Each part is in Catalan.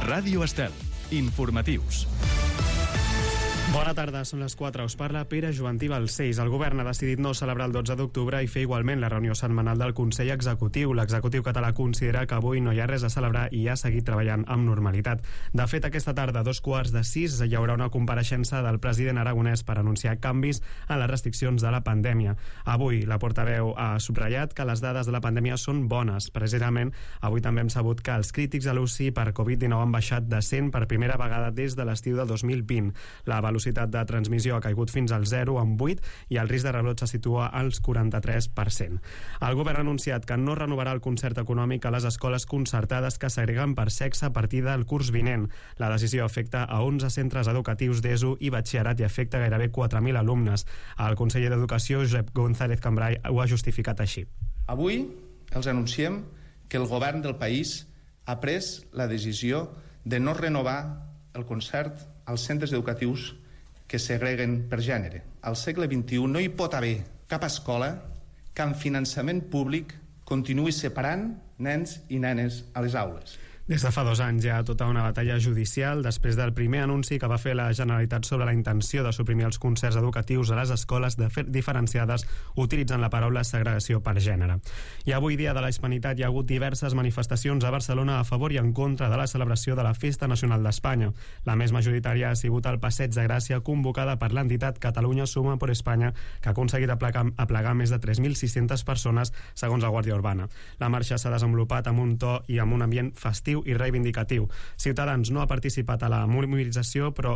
Ràdio Estel. Informatius. Bona tarda, són les 4. Us parla Pere Jovantí Balcells. El govern ha decidit no celebrar el 12 d'octubre i fer igualment la reunió setmanal del Consell Executiu. L'executiu català considera que avui no hi ha res a celebrar i ha seguit treballant amb normalitat. De fet, aquesta tarda, a 5:45, hi haurà una compareixença del president aragonès per anunciar canvis en les restriccions de la pandèmia. Avui, la portaveu ha subratllat que les dades de la pandèmia són bones. Precisament, avui també hem sabut que els crítics a l'UCI per Covid-19 han baixat de 100 per primera vegada des de l'estiu de 2020. La velocitat de transmissió ha caigut fins al 0 en 8 i el risc de rebrot se situa als 43%. El govern ha anunciat que no renovarà el concert econòmic a les escoles concertades que segreguen per sexe a partir del curs vinent. La decisió afecta a 11 centres educatius d'ESO i batxillerat i afecta gairebé 4.000 alumnes. El conseller d'Educació, Josep González Cambray, ho ha justificat així. Avui els anunciem que el govern del país ha pres la decisió de no renovar el concert als centres educatius que segreguen per gènere. Al segle XXI no hi pot haver cap escola que amb finançament públic continuï separant nens i nenes a les aules. Des de fa 2 anys hi ha tota una batalla judicial després del primer anunci que va fer la Generalitat sobre la intenció de suprimir els concerts educatius a les escoles diferenciades utilitzant la paraula segregació per gènere. I avui, dia de la Hispanitat, hi ha hagut diverses manifestacions a Barcelona a favor i en contra de la celebració de la Festa Nacional d'Espanya. La més majoritària ha sigut el Passeig de Gràcia, convocada per l'entitat Catalunya Suma por Espanya, que ha aconseguit aplegar més de 3.600 persones, segons la Guàrdia Urbana. La marxa s'ha desenvolupat amb un to i amb un ambient festiu i reivindicatiu. Ciutadans no ha participat a la mobilització, però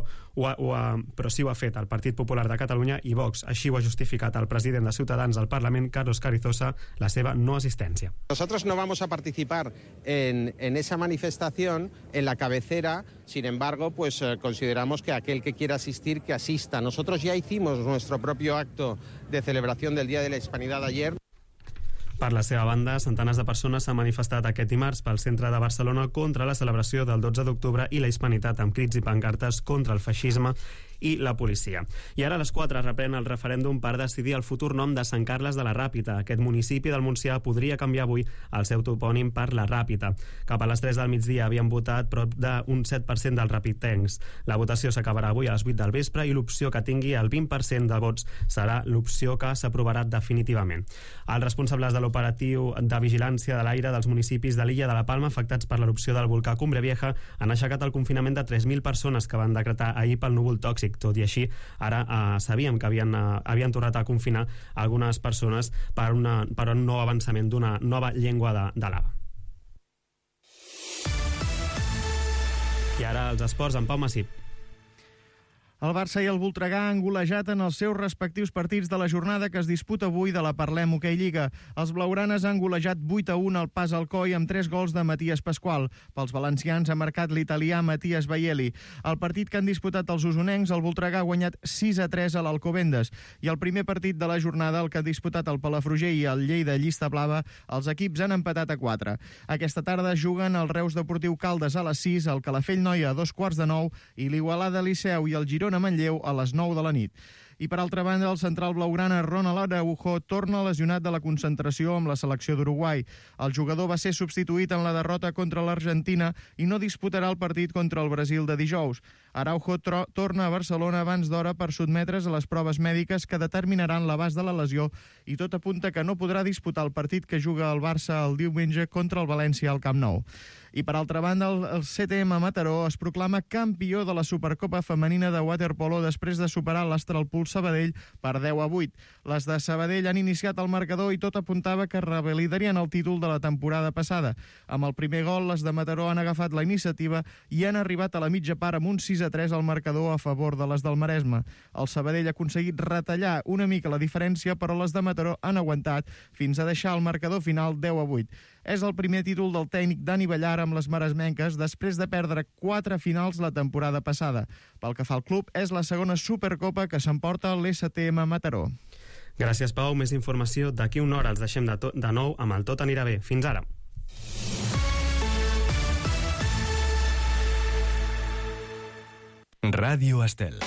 sí ho ha fet el Partit Popular de Catalunya i Vox. Així ho ha justificat el president de Ciutadans al Parlament, Carlos Carrizosa, la seva no assistència. Nosotros no vamos a participar en esa manifestación en la cabecera, sin embargo, pues consideramos que aquel que quiera asistir, que asista. Nosotros ya hicimos nuestro propio acto de celebración del Día de la Hispanidad ayer. Per la seva banda, centenars de persones s'han manifestat aquest dimarts pel centre de Barcelona contra la celebració del 12 d'octubre i la hispanitat amb crits i pancartes contra el feixisme i la policia. I ara a les 4 reprèn el referèndum per decidir el futur nom de Sant Carles de la Ràpita. Aquest municipi del Montsià podria canviar avui el seu topònim per la Ràpita. Cap a les 3 del migdia havien votat prop d'un 7% dels rapitencs. La votació s'acabarà avui a les 8 del vespre i l'opció que tingui el 20% de vots serà l'opció que s'aprovarà definitivament. Els responsables de l'operatiu de vigilància de l'aire dels municipis de l'illa de la Palma afectats per l'erupció del volcà Cumbre Vieja han aixecat el confinament de 3.000 persones que van decretar ahir pel núvol tòxic. Tot i així, ara sabíem que havien tornat a confinar algunes persones per un nou avançament d'una nova llengua de lava. I ara els esports amb Pau Massip. El Barça i el Voltregà han golejat en els seus respectius partits de la jornada que es disputa avui de la Parlem Hoquei Lliga. Els blaugranes han golejat 8-1 al Pas Alcoi amb 3 gols de Matías Pasqual. Pels valencians ha marcat l'italià Matías Baieli. El partit que han disputat els usonencs, el Voltregà ha guanyat 6-3 a l'Alcobendes. I el primer partit de la jornada, el que ha disputat el Palafrugell i el Lleida Llista Blava, els equips han empatat a 4. Aquesta tarda juguen el Reus Deportiu Caldes a les 6, el Calafell Noia a 8:45 i l'Igualada Liceu i el Girona Manlleu a les 9 de la nit. I per altra banda, el central blaugrana Ronald Araujo torna lesionat de la concentració amb la selecció d'Uruguai. El jugador va ser substituït en la derrota contra l'Argentina i no disputarà el partit contra el Brasil de dijous. Araujo torna a Barcelona abans d'hora per sotmetre's a les proves mèdiques que determinaran l'abast de la lesió i tot apunta que no podrà disputar el partit que juga el Barça el diumenge contra el València al Camp Nou. I per altra banda, el CTM Mataró es proclama campió de la Supercopa Femenina de Waterpolo després de superar l'Astralpuls Sabadell per 10-8. Les de Sabadell han iniciat el marcador i tot apuntava que revalidarien el títol de la temporada passada. Amb el primer gol, les de Mataró han agafat la iniciativa i han arribat a la mitja part amb un 6-3 al marcador a favor de les del Maresme. El Sabadell ha aconseguit retallar una mica la diferència, però les de Mataró han aguantat fins a deixar el marcador final 10-8. És el primer títol del tècnic Dani Ballar amb les maresmenques després de perdre 4 finals la temporada passada. Pel que fa al club, és la segona Supercopa que s'emporta l'STM Mataró. Gràcies, Pau. Més informació d'aquí una hora. Els deixem de nou amb el Tot anirà bé. Fins ara. Ràdio Estel.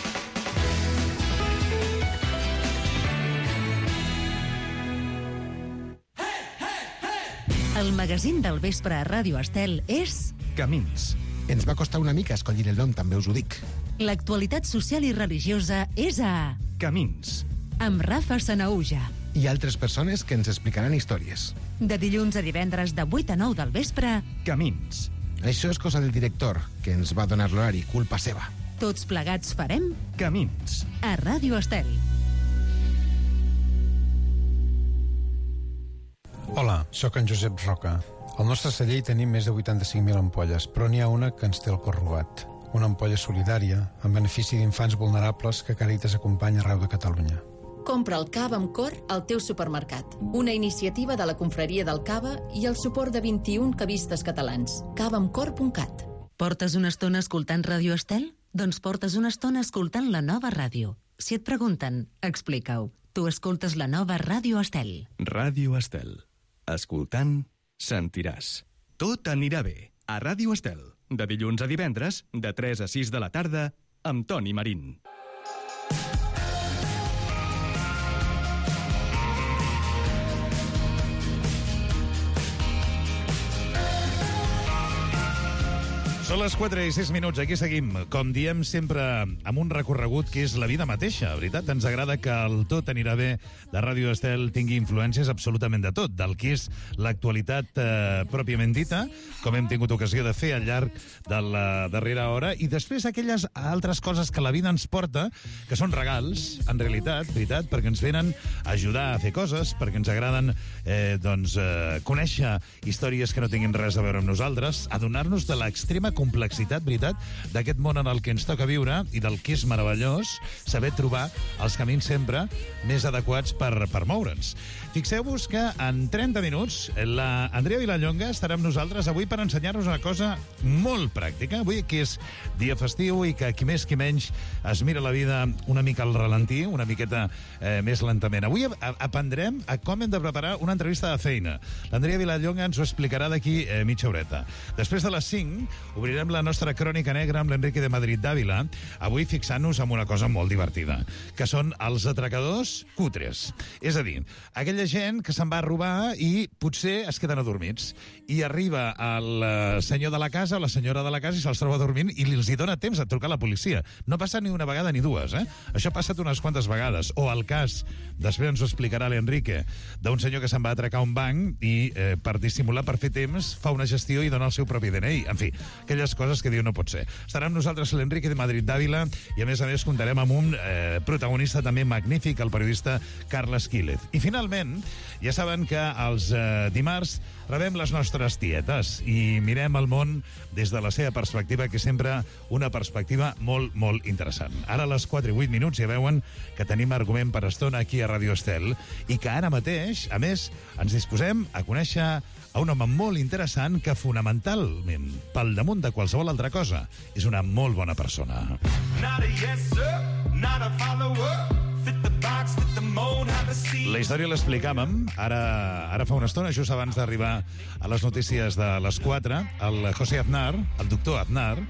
El magazín del vespre a Ràdio Estel és... Camins. Ens va costar una mica escollir el nom, també us ho dic. L'actualitat social i religiosa és a... Camins. Amb Rafa Sanaúja. I altres persones que ens explicaran històries. De dilluns a divendres de 8 a 9 del vespre. Camins. Això és cosa del director, que ens va donar l'horari, culpa seva. Tots plegats farem... Camins. A Ràdio Estel. Hola, sóc en Josep Roca. Al nostre celler hi tenim més de 85.000 ampolles, però n'hi ha una que ens té el cor robat. Una ampolla solidària, en benefici d'infants vulnerables que Càritas acompanya arreu de Catalunya. Compra el cava amb cor al teu supermercat. Una iniciativa de la Confraria del Cava i el suport de 21 cavistes catalans. cavaamcor.cat. Portes una estona escoltant Ràdio Estel? Doncs portes una estona escoltant la nova ràdio. Si et pregunten, explica-ho. Tu escoltes la nova Ràdio Estel. Ràdio Estel. Escoltant, sentiràs. Tot anirà bé. A Ràdio Estel. De dilluns a divendres, de 3 a 6 de la tarda, amb Toni Marín. Són les 4 i 6 minuts, aquí seguim. Com diem sempre, amb un recorregut que és la vida mateixa, veritat? Ens agrada que el Tot anirà bé de Ràdio Estel tingui influències absolutament de tot, del que és l'actualitat pròpiament dita, com hem tingut ocasió de fer al llarg de la darrera hora, i després aquelles altres coses que la vida ens porta, que són regals, en realitat, veritat, perquè ens venen a ajudar a fer coses, perquè ens agraden conèixer històries que no tinguin res a veure amb nosaltres, adonar-nos de l'extrema complexitat, veritat, d'aquest món en el que ens toca viure i del que és meravellós saber trobar els camins sempre més adequats per moure'ns. Fixeu-vos que en 30 minuts la Andrea Vilallonga estarà amb nosaltres avui per ensenyar-nos una cosa molt pràctica, avui que és dia festiu i que qui més qui menys es mira la vida una mica al ralentí, una miqueta més lentament. Avui aprendrem a com hem de preparar una entrevista de feina. L'Andrea Vilallonga ens ho explicarà d'aquí mitja horeta. Després de les 5 obrirem la nostra crònica negra amb l'Enrique de Madrid d'Àvila, avui fixant-nos en una cosa molt divertida, que són els atracadors cutres. És a dir, aquella gent que se'n va a robar i potser es queden adormits. I arriba el senyor de la casa o la senyora de la casa i se'ls troba dormint i els hi dona temps a trucar a la policia. No passa ni una vegada ni dues, eh? Això ha passat unes quantes vegades. O el cas, després ens ho explicarà l'Enrique, d'un senyor que se'n va atracar un banc i per dissimular, per fer temps, fa una gestió i dona el seu propi DNI. En fi, aquelles coses que diu no pot ser. Estarà amb nosaltres l'Enrique de Madrid d'Àvila i a més comptarem amb un protagonista també magnífic, el periodista Carles Quílez. I finalment, ja saben que els dimarts rebem les nostres tietes i mirem el món des de la seva perspectiva, que és sempre una perspectiva molt, molt interessant. Ara a les 4 i 8 minuts ja veuen que tenim argument per estona aquí a Ràdio Estel i que ara mateix, a més, ens disposem a conèixer a un home molt interessant que fonamentalment, pel damunt de qualsevol altra cosa, és una molt bona persona. La història l'explicàvem ara fa una estona, just abans d'arribar a les notícies de les 4. El José Aznar, el doctor Aznar,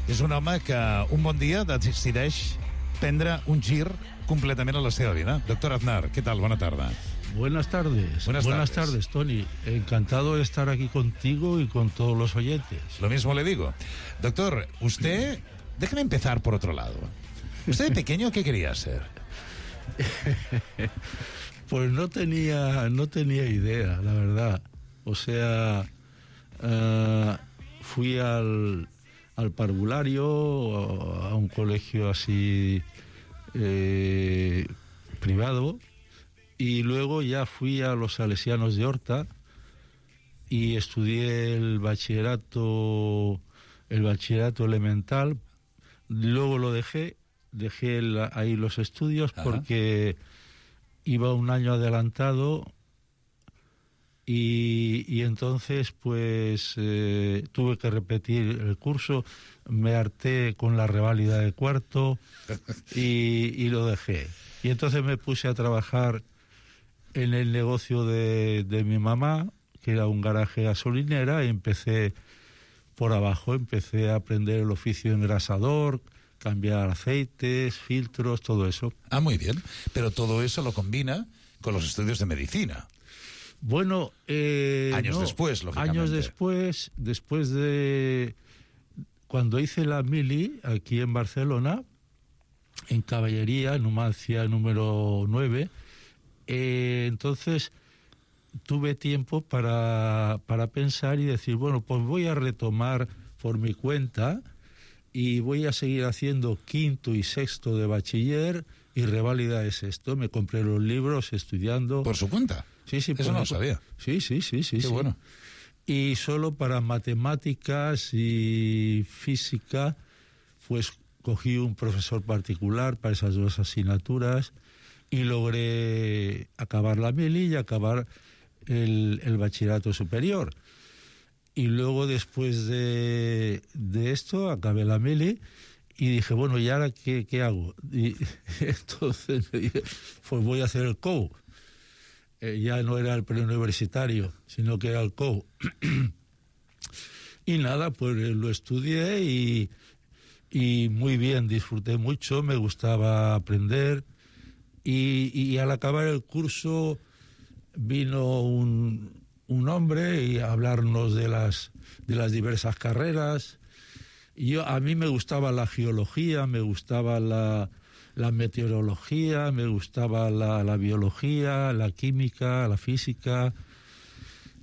és un home que un bon dia decideix prendre un gir completament a la seva vida. Doctor Aznar, què tal? Bona tarda. Buenas tardes. Buenas tardes, Tony. Encantado de estar aquí contigo y con todos los oyentes. Lo mismo le digo. Doctor, usted, déjeme empezar por otro lado. ¿Usted de pequeño qué quería ser? Pues no tenía idea, la verdad. O sea, fui al parvulario, a un colegio así privado, y luego ya fui a los Salesianos de Horta y estudié el bachillerato elemental. Luego lo dejé ahí los estudios. Ajá. Porque iba un año adelantado y entonces pues tuve que repetir el curso, me harté con la reválida de cuarto y lo dejé. Y entonces me puse a trabajar en el negocio de mi mamá, que era un garaje gasolinera, y empecé por abajo, empecé a aprender el oficio de engrasador, cambiar aceites, filtros, todo eso. Ah, muy bien. Pero todo eso lo combina con los estudios de medicina. Bueno, años después, lógicamente. Años después de cuando hice la mili aquí en Barcelona, en Caballería, Numancia número 9, entonces tuve tiempo para pensar y decir, bueno, pues voy a retomar por mi cuenta y voy a seguir haciendo quinto y sexto de bachiller y reválida de sexto. Me compré los libros estudiando. ¿Por su cuenta? Sí, eso no lo sabía. Sí. Qué bueno. Y solo para matemáticas y física, pues cogí un profesor particular para esas dos asignaturas y logré acabar la mili y acabar el bachillerato superior. Y luego, después de esto, acabé la mili y dije, bueno, ¿y ahora qué hago? Y entonces me dije, pues voy a hacer el COU. Ya no era el preuniversitario, sino que era el COU. Y nada, pues lo estudié y muy bien, disfruté mucho, me gustaba aprender. Y al acabar el curso vino un hombre y a hablarnos de las diversas carreras. Y a mí me gustaba la geología, me gustaba la meteorología, me gustaba la biología, la química, la física.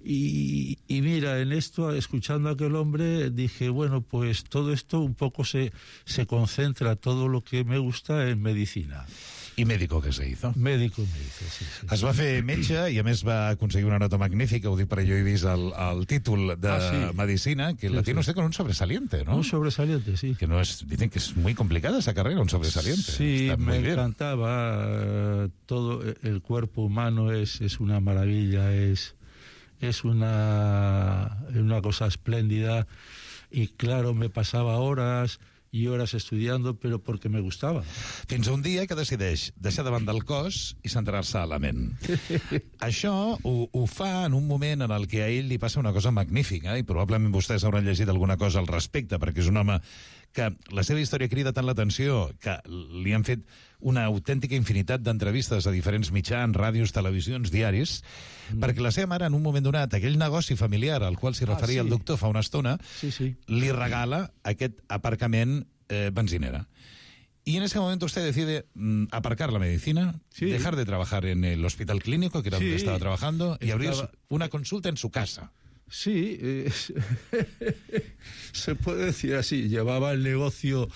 Y mira, en esto, escuchando a aquel hombre, dije, bueno, pues todo esto un poco se concentra, todo lo que me gusta en medicina. I mèdico que se hizo. Médico me hizo, sí. Es va fer metge i a més va aconseguir una nota magnífica, ho dic perquè jo he vist el títol de medicina, que la tiene usted con un sobresaliente, ¿no? Un sobresaliente, sí. Que no es, dicen que es muy complicada esa carrera, un sobresaliente. Sí, me encantaba. Todo el cuerpo humano es una maravilla, es una cosa espléndida. Y claro, me pasaba horas i hores estudiando, però perquè me gustava. Fins a un dia que decideix deixar de banda el cos i centrar-se a la ment. Això ho fa en un moment en el que a ell li passa una cosa magnífica, i probablement vostès hauran llegit alguna cosa al respecte, perquè és un home que la seva història crida tant l'atenció que li han fet una autèntica infinitat d'entrevistes a diferents mitjans, ràdios, televisions, diaris, perquè la seva mare, en un moment donat, aquell negoci familiar al qual s'hi referia el doctor fa una estona, li regala aquest aparcament benzinera. Y en ese momento usted decide aparcar la medicina, dejar de trabajar en el hospital clínico, que era donde estaba trabajando, y abrir una consulta en su casa. Sí, se puede decir así. Llevaba el negocio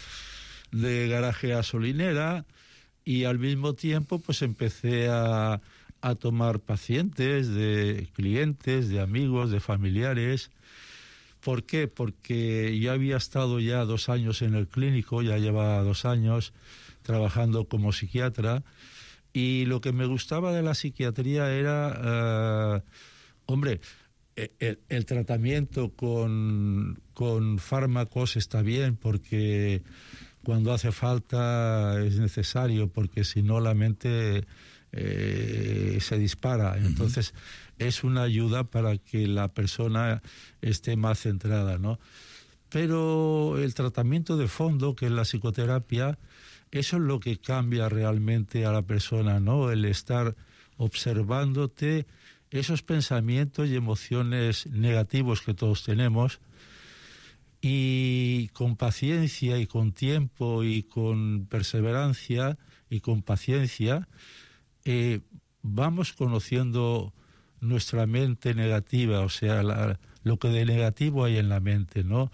de garaje gasolinera y al mismo tiempo pues empecé a tomar pacientes, de clientes, de amigos, de familiares. ¿Por qué? Porque yo había estado ya 2 años en el clínico, ya llevaba 2 años trabajando como psiquiatra, y lo que me gustaba de la psiquiatría era, el tratamiento con fármacos está bien, porque cuando hace falta es necesario, porque si no la mente se dispara. Entonces es una ayuda para que la persona esté más centrada, ¿no? Pero el tratamiento de fondo, que es la psicoterapia, eso es lo que cambia realmente a la persona, ¿no? El estar observándote esos pensamientos y emociones negativos que todos tenemos, y con paciencia y con tiempo y con perseverancia y con paciencia vamos conociendo nuestra mente negativa, o sea, lo que de negativo hay en la mente, ¿no?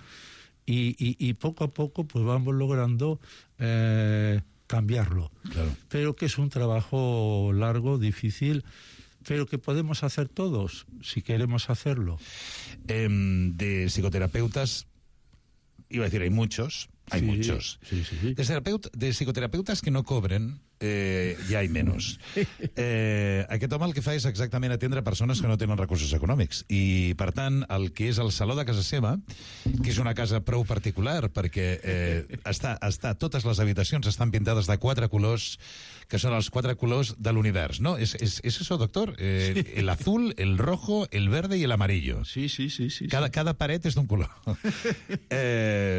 Y poco a poco pues vamos logrando cambiarlo. Claro. Pero que es un trabajo largo, difícil, pero que podemos hacer todos, si queremos hacerlo. De psicoterapeutas, iba a decir, hay muchos. De psicoterapeutas que no cobren, ja hi menys. Aquest home el que fa és exactament atendre persones que no tenen recursos econòmics, i per tant el que és el saló de casa seva, que és una casa prou particular perquè totes les habitacions estan pintades de 4 colors, que són els 4 colors de l'univers, ¿no? ¿Es eso, doctor? El azul, el rojo, el verde y el amarillo. Sí. Cada paret és d'un color.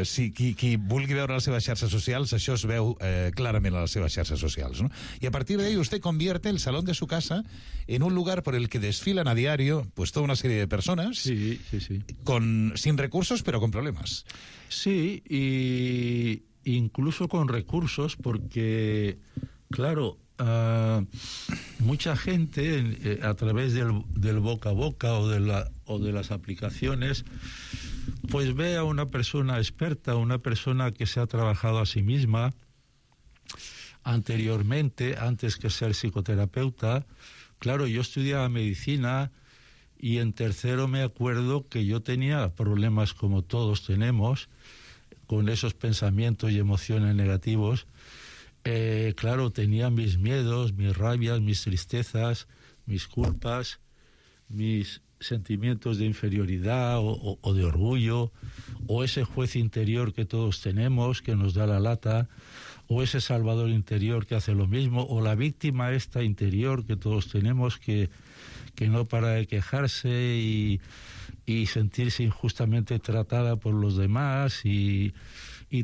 Si qui vulgui veure les seves xarxes socials, això es veu clarament a les seves xarxes socials. sociales, ¿no? Y a partir de ahí usted convierte el salón de su casa en un lugar por el que desfilan a diario pues toda una serie de personas sin recursos pero con problemas. Sí, y incluso con recursos, porque, claro, mucha gente a través del boca a boca o de las aplicaciones, pues ve a una persona experta, una persona que se ha trabajado a sí misma anteriormente, antes que ser psicoterapeuta. Claro, yo estudiaba medicina y en tercero me acuerdo que yo tenía problemas como todos tenemos, con esos pensamientos y emociones negativos. Claro, tenía mis miedos, mis rabias, mis tristezas, mis culpas, mis sentimientos de inferioridad o de orgullo, o ese juez interior que todos tenemos, que nos da la lata, o ese salvador interior que hace lo mismo, o la víctima esta interior que todos tenemos, que no para de quejarse y sentirse injustamente tratada por los demás y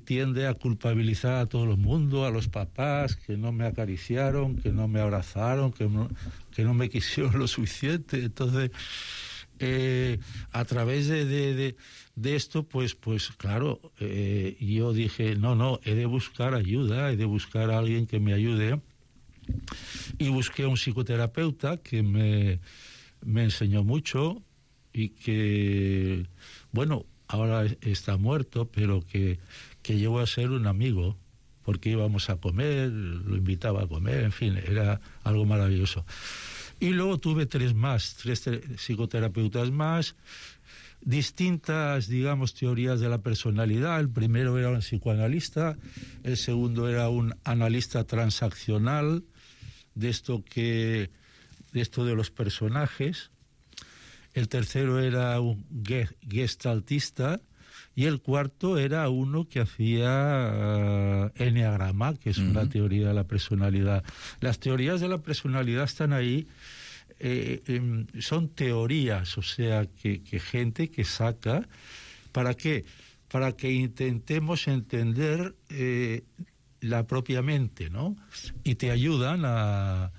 tiende a culpabilizar a todo el mundo, a los papás que no me acariciaron, que no me abrazaron, que no me quisieron lo suficiente. Entonces, a través de esto, pues claro, yo dije, no, he de buscar ayuda, he de buscar a alguien que me ayude. Y busqué a un psicoterapeuta que me enseñó mucho y que, bueno, ahora está muerto, pero que llegó a ser un amigo, porque íbamos a comer, lo invitaba a comer, en fin, era algo maravilloso. Y luego tuve tres psicoterapeutas más, distintas, digamos, teorías de la personalidad. El primero era un psicoanalista, el segundo era un analista transaccional, de esto de los personajes. El tercero era un gestaltista y el cuarto era uno que hacía enneagrama, que es una teoría de la personalidad. Las teorías de la personalidad están ahí, son teorías, o sea, que gente que saca. ¿Para qué? Para que intentemos entender la propia mente, ¿no? Y te ayudan a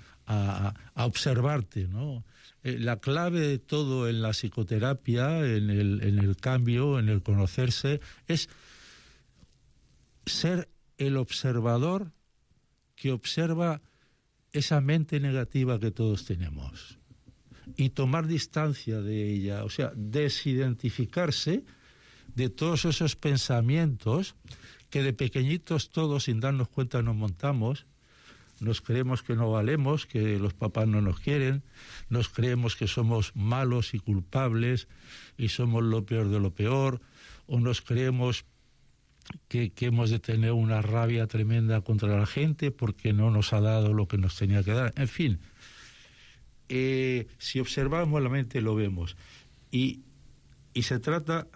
observarte, ¿no? La clave de todo en la psicoterapia, en el cambio, en el conocerse, es ser el observador que observa esa mente negativa que todos tenemos y tomar distancia de ella, o sea, desidentificarse de todos esos pensamientos que de pequeñitos todos, sin darnos cuenta, nos montamos. Nos creemos que no valemos, que los papás no nos quieren, nos creemos que somos malos y culpables y somos lo peor de lo peor, o nos creemos que hemos de tener una rabia tremenda contra la gente porque no nos ha dado lo que nos tenía que dar. En fin, si observamos la mente lo vemos. Y se trata,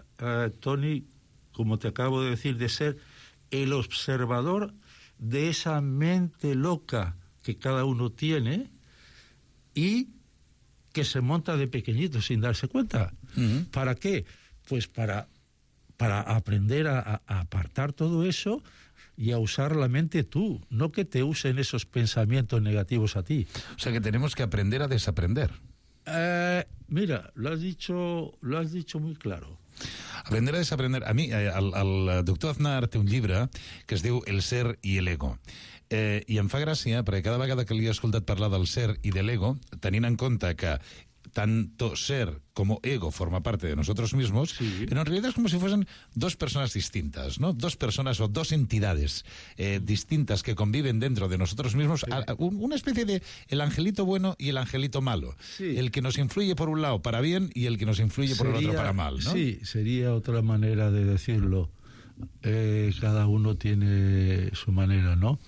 Tony, como te acabo de decir, de ser el observador de esa mente loca que cada uno tiene y que se monta de pequeñito sin darse cuenta. ¿Para qué? Pues para aprender a apartar todo eso y a usar la mente tú, no que te usen esos pensamientos negativos a ti. O sea que tenemos que aprender a desaprender. Mira, lo has dicho muy claro. Aprender a desaprender. A mi, el doctor Aznar té un llibre que es diu El ser i l'ego. I em fa gràcia perquè cada vegada que li he escoltat parlar del ser i de l'ego, tenint en compte que tanto ser como ego forma parte de nosotros mismos, pero en realidad es como si fuesen dos personas distintas, ¿no? Dos personas o dos entidades distintas que conviven dentro de nosotros mismos, una especie de el angelito bueno y el angelito malo, el que nos influye por un lado para bien y el que nos influye por el otro para mal, ¿no? Sí, sería otra manera de decirlo. Cada uno tiene su manera, ¿no?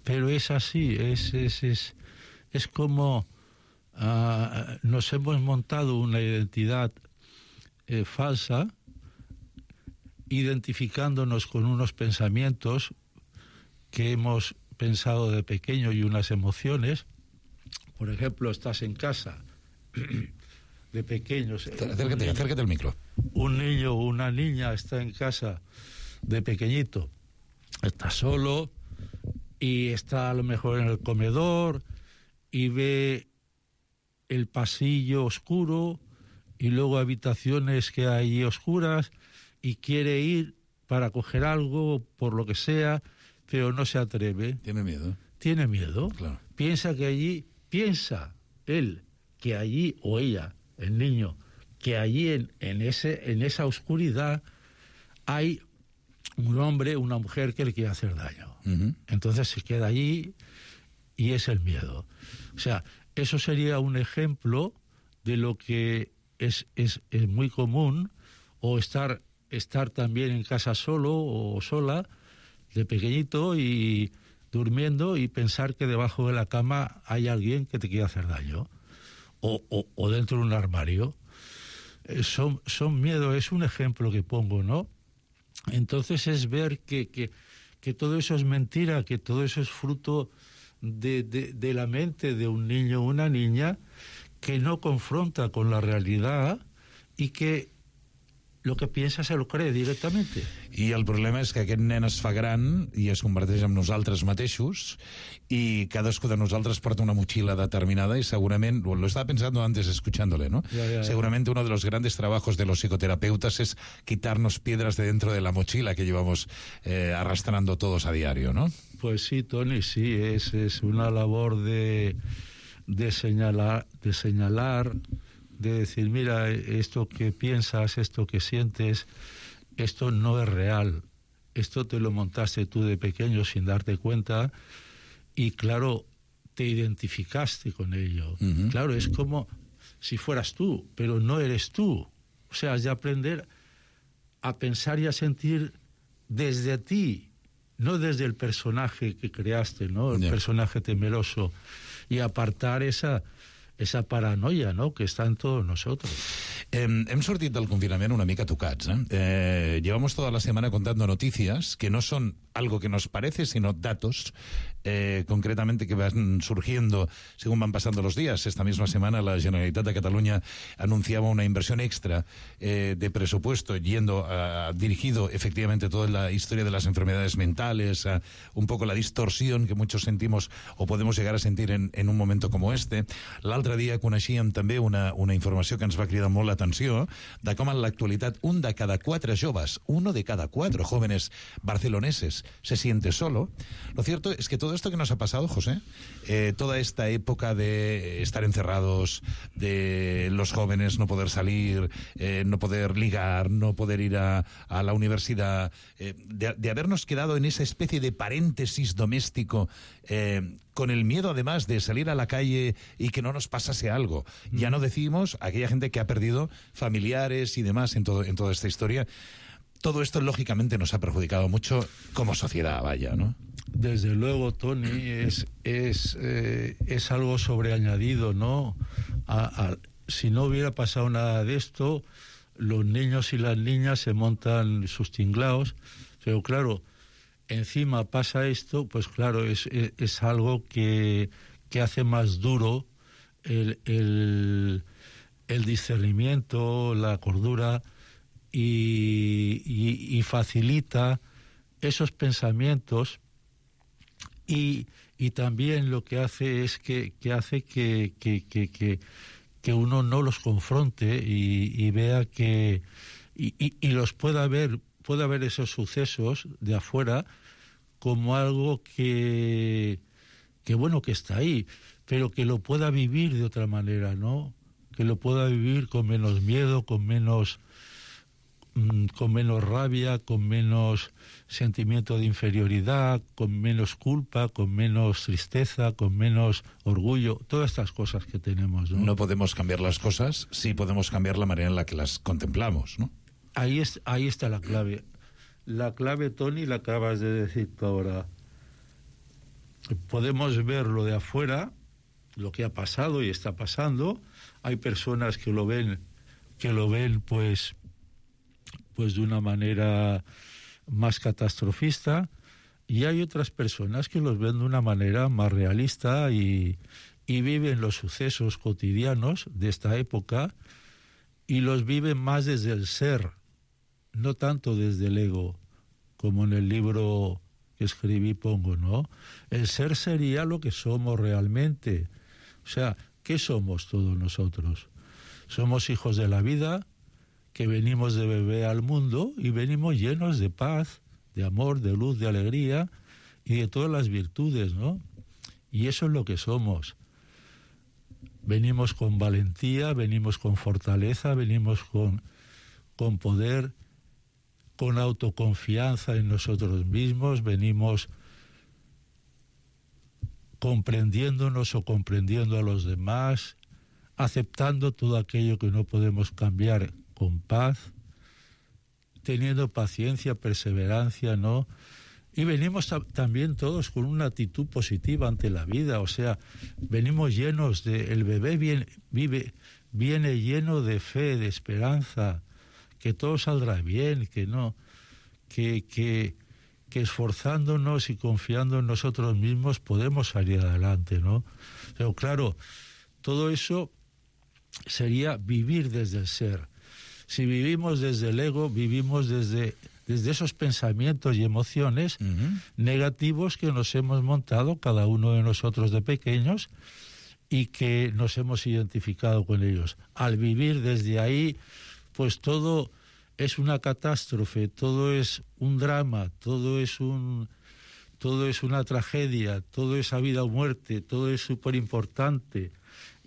Pero es así, es como nos hemos montado una identidad falsa, identificándonos con unos pensamientos que hemos pensado de pequeño y unas emociones. Por ejemplo, estás en casa de pequeños. Acércate al micro. Un niño o una niña está en casa de pequeñito, está solo y está a lo mejor en el comedor y ve el pasillo oscuro y luego habitaciones que hay oscuras y quiere ir para coger algo, por lo que sea, pero no se atreve. Tiene miedo. Tiene miedo. Claro. Piensa él que allí, o ella, el niño, que allí en esa oscuridad hay un hombre, una mujer que le quiere hacer daño. Uh-huh. Entonces se queda allí y es el miedo. O sea, eso sería un ejemplo de lo que es muy común, o estar también en casa solo o sola, de pequeñito, y durmiendo y pensar que debajo de la cama hay alguien que te quiere hacer daño, o dentro de un armario. Son miedos, es un ejemplo que pongo, ¿no? Entonces es ver que todo eso es mentira, que todo eso es fruto de la mente de un niño o una niña que no confronta con la realidad y que lo que piensa se lo cree directamente. I el problema és que aquest nen es fa gran i es converteix en nosaltres mateixos, y cadascú de nosaltres porta una mochila determinada, y seguramente, lo estaba pensando antes escuchándole, ¿no? Ya. Seguramente uno de los grandes trabajos de los psicoterapeutas es quitarnos piedras de dentro de la mochila que llevamos arrastrando todos a diario, ¿no? Pues sí, Tony, sí, es una labor de señalar, de decir, mira, esto que piensas, esto que sientes, esto no es real. Esto te lo montaste tú de pequeño sin darte cuenta y, claro, te identificaste con ello. Uh-huh. Claro, es como si fueras tú, pero no eres tú. O sea, has de aprender a pensar y a sentir desde ti, no desde el personaje que creaste, ¿no? El personaje temeroso, y apartar esa paranoia, no?, que está en todos nosotros. Hem sortit del confinament una mica tocats, llevamos toda la semana contando noticias que no son algo que nos parece, sino datos concretamente que van surgiendo según van pasando los días. Esta misma semana la Generalitat de Cataluña anunciaba una inversión extra de presupuesto dirigido efectivamente a toda la historia de las enfermedades mentales, a un poco la distorsión que muchos sentimos o podemos llegar a sentir en un momento como este. L'altre dia coneixíem també una informació que ens va cridar molt l'atenció, de com en l'actualitat un de cada 4 joves, 1 de cada 4 jóvenes barceloneses se siente solo. Lo cierto es que todo esto que nos ha pasado, José, toda esta época de estar encerrados, de los jóvenes no poder salir, no poder ligar, no poder ir a la universidad, de habernos quedado en esa especie de paréntesis doméstico, con el miedo además de salir a la calle y que no nos pasase algo. Ya no decimos aquella gente que ha perdido familiares y demás en toda esta historia. Todo esto lógicamente nos ha perjudicado mucho como sociedad, vaya, ¿no? Desde luego, Tony, es algo sobreañadido, ¿no? Si no hubiera pasado nada de esto, los niños y las niñas se montan sus tinglaos, pero claro, encima pasa esto, pues claro, es algo que hace más duro el discernimiento, la cordura, y facilita esos pensamientos, y también lo que hace es que hace que uno no los confronte y vea que y los pueda ver esos sucesos de afuera como algo que bueno, que está ahí, pero que lo pueda vivir de otra manera, ¿no? Que lo pueda vivir con menos miedo, con menos rabia, con menos sentimiento de inferioridad, con menos culpa, con menos tristeza, con menos orgullo, todas estas cosas que tenemos, ¿no? No podemos cambiar las cosas, sí podemos cambiar la manera en la que las contemplamos, ¿no? Ahí está la clave. La clave, Tony, la acabas de decir tú ahora. Podemos ver lo de afuera, lo que ha pasado y está pasando. Hay personas que lo ven pues de una manera más catastrofista, y hay otras personas que los ven de una manera más realista y viven los sucesos cotidianos de esta época, y los viven más desde el ser, no tanto desde el ego, como en el libro que escribí pongo, ¿no? El ser sería lo que somos realmente. O sea, ¿qué somos todos nosotros? Somos hijos de la vida, que venimos de bebé al mundo y venimos llenos de paz, de amor, de luz, de alegría y de todas las virtudes, ¿no? Y eso es lo que somos. Venimos con valentía, venimos con fortaleza, venimos con poder, con autoconfianza en nosotros mismos, venimos comprendiéndonos o comprendiendo a los demás, aceptando todo aquello que no podemos cambiar con paz, teniendo paciencia, perseverancia, ¿no? Y venimos también todos con una actitud positiva ante la vida, o sea, venimos llenos de... El bebé viene lleno de fe, de esperanza, que todo saldrá bien, que esforzándonos y confiando en nosotros mismos podemos salir adelante, ¿no? Pero claro, todo eso sería vivir desde el ser. Si vivimos desde el ego, vivimos desde esos pensamientos y emociones negativos que nos hemos montado cada uno de nosotros de pequeños y que nos hemos identificado con ellos. Al vivir desde ahí, pues todo es una catástrofe, todo es un drama, todo es una tragedia, todo es a vida o muerte, todo es súper importante.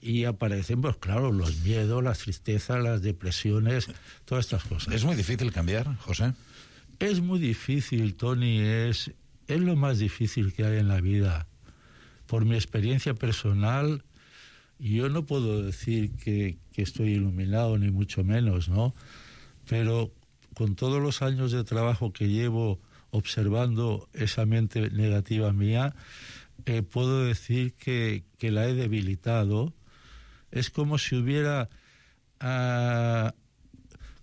Y aparecen, pues claro, los miedos, las tristezas, las depresiones, todas estas cosas. ¿Es muy difícil cambiar, José? Es muy difícil, Tony, es lo más difícil que hay en la vida. Por mi experiencia personal, yo no puedo decir que estoy iluminado, ni mucho menos, ¿no? Pero con todos los años de trabajo que llevo observando esa mente negativa mía, puedo decir que la he debilitado. Es como si hubiera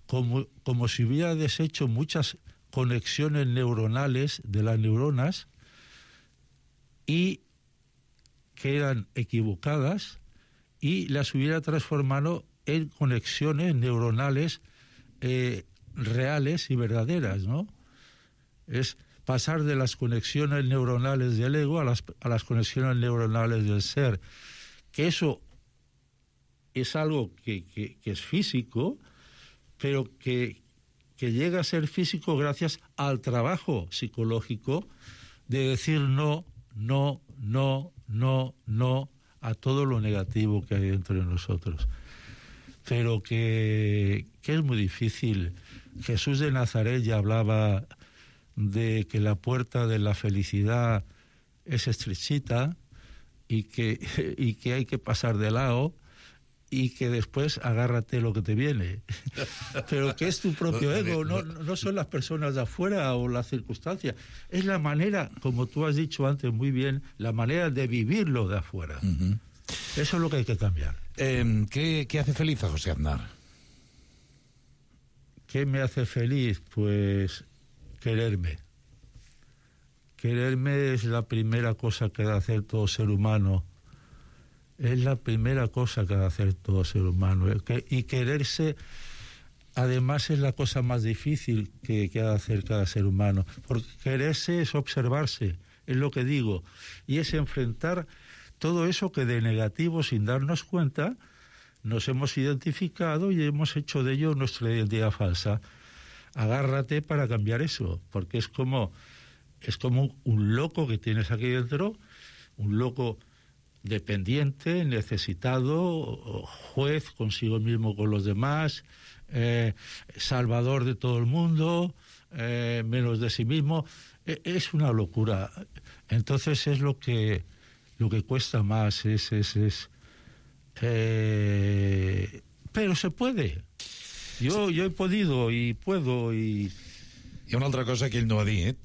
como si hubiera deshecho muchas conexiones neuronales de las neuronas y que eran equivocadas y las hubiera transformado en conexiones neuronales reales y verdaderas, ¿no? Es pasar de las conexiones neuronales del ego a las conexiones neuronales del ser, que eso es algo que es físico, pero que llega a ser físico gracias al trabajo psicológico de decir no a todo lo negativo que hay dentro de nosotros. Pero que es muy difícil. Jesús de Nazaret ya hablaba de que la puerta de la felicidad es estrechita y que hay que pasar de lado y que después agárrate lo que te viene. Pero que es tu propio ego, no son las personas de afuera o las circunstancias. Es la manera, como tú has dicho antes muy bien, la manera de vivirlo de afuera. Uh-huh. Eso es lo que hay que cambiar. ¿Qué hace feliz a José Aznar? ¿Qué me hace feliz? Pues quererme. Quererme es la primera cosa que debe hacer todo ser humano. Es la primera cosa que debe hacer todo ser humano. Y quererse, además, es la cosa más difícil que ha de hacer cada ser humano. Porque quererse es observarse, es lo que digo. Y es enfrentar todo eso que de negativo, sin darnos cuenta, nos hemos identificado y hemos hecho de ello nuestra identidad falsa. Agárrate para cambiar eso, porque es como un loco que tienes aquí dentro, un loco dependiente, necesitado, juez consigo mismo con los demás, salvador de todo el mundo, menos de sí mismo. Es una locura. Entonces es lo que cuesta más, pero se puede. Jo he podido i puedo i... Hi ha una altra cosa que ell no ha dit,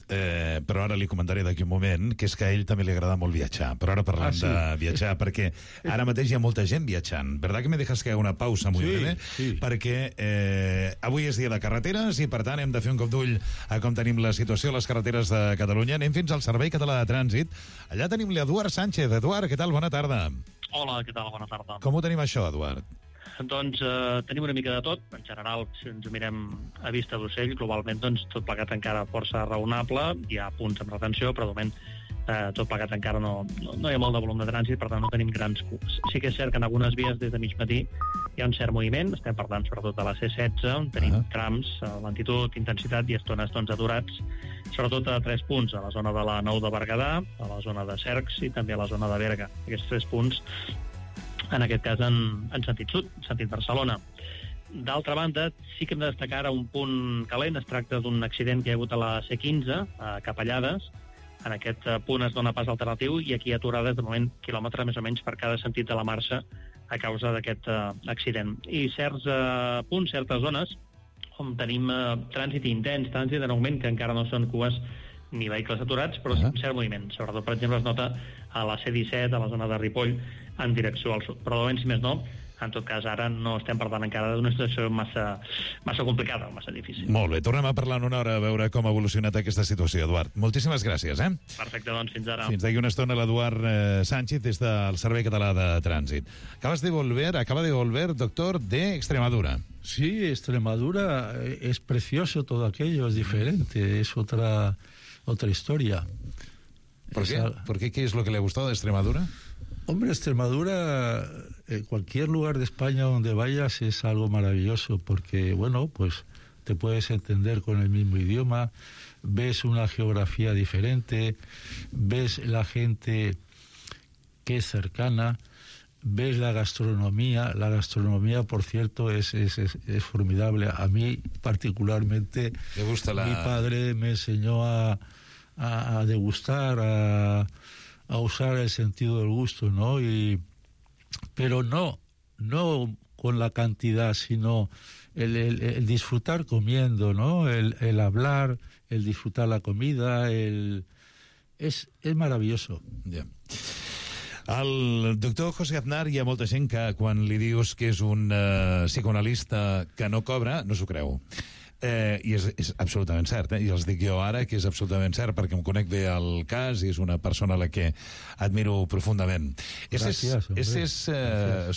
però ara li comentaré d'aquí un moment, que és que a ell també li agrada molt viatjar. Però ara parlem de viatjar, perquè ara mateix hi ha molta gent viatjant. ¿Verdad que me dejas que haga una pausa muy breve? Sí. Perquè avui és dia de carreteres i, per tant, hem de fer un cop d'ull a com tenim la situació a les carreteres de Catalunya. Anem fins al Servei Català de Trànsit. Allà tenim l'Eduard Sánchez. Eduard, què tal? Bona tarda. Hola, què tal? Bona tarda. Com ho tenim això, Eduard? Doncs tenim una mica de tot. En general, si ens ho mirem a vista d'ocell, globalment doncs, tot plegat encara força raonable. Hi ha punts amb retenció, però de moment tot plegat encara no hi ha molt de volum de trànsit, per tant no tenim grans cups. Sí que és cert que en algunes vies des de mig matí hi ha un cert moviment, estem parlant sobretot de la C16, on tenim trams, lentitud, intensitat i estones doncs, aturats, sobretot a 3 punts, a la zona de la Nou de Berguedà, a la zona de Cercs i també a la zona de Berga. Aquests 3 punts, en aquest cas en sentit sud, en sentit Barcelona. D'altra banda, sí que hem de destacar ara un punt calent. Es tracta d'un accident que hi ha hagut a la C15, a Capellades. En aquest punt es dona pas alternatiu i aquí hi ha aturades de moment quilòmetre més o menys per cada sentit de la marxa a causa d'aquest accident. I certs punts, certes zones, on tenim trànsit intens, trànsit en augment, que encara no són cues ni vehicles aturats, però sí cert moviment. Sobretot, per exemple, es nota a la C17, a la zona de Ripoll, en direcció al sud. Però de moment, si més no, en tot cas, ara no estem parlant encara d'una situació massa complicada, massa difícil. Molt bé, tornem a parlar en una hora a veure com ha evolucionat aquesta situació, Eduard. Moltíssimes gràcies, Perfecte, doncs, fins ara. Fins d'aquí una estona l'Eduard Sánchez des del Servei Català de Trànsit. Acaba de volver, doctor, de Extremadura. Sí, Extremadura es precioso todo aquello, es diferente, es otra historia. ¿Por qué? ¿Qué es lo que le ha gustado de Extremadura? Hombre, Extremadura, cualquier lugar de España donde vayas es algo maravilloso porque, bueno, pues te puedes entender con el mismo idioma, ves una geografía diferente, ves la gente que es cercana, ves la gastronomía. La gastronomía, por cierto, es formidable. A mí, particularmente, ¿te gusta mi padre me enseñó a degustar, a usar el sentido del gusto, ¿no? Pero no con la cantidad, sino el disfrutar comiendo, ¿no? El hablar, el disfrutar la comida, es maravilloso. Ja. El doctor José Aznar, hi ha molta gent que quan li dius que és un psicoanalista que no cobra, no s'ho creu. I és absolutament cert, i els dic jo ara que és absolutament cert perquè em conec bé al cas i és una persona a la que admiro profundamente. Ese es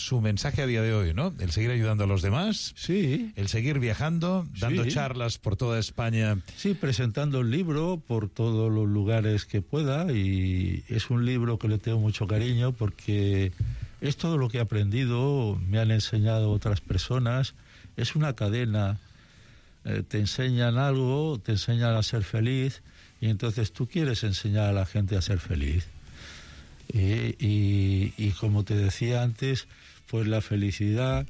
su mensaje a día de hoy, ¿no? El seguir ayudando a los demás, sí, el seguir viajando, dando charlas por toda España. Sí, presentando el libro por todos los lugares que pueda, y es un libro que le tengo mucho cariño porque es todo lo que he aprendido, me han enseñado otras personas, es una cadena. Te enseñan algo, te enseñan a ser feliz y entonces tú quieres enseñar a la gente a ser feliz. Y como te decía antes, pues la felicidad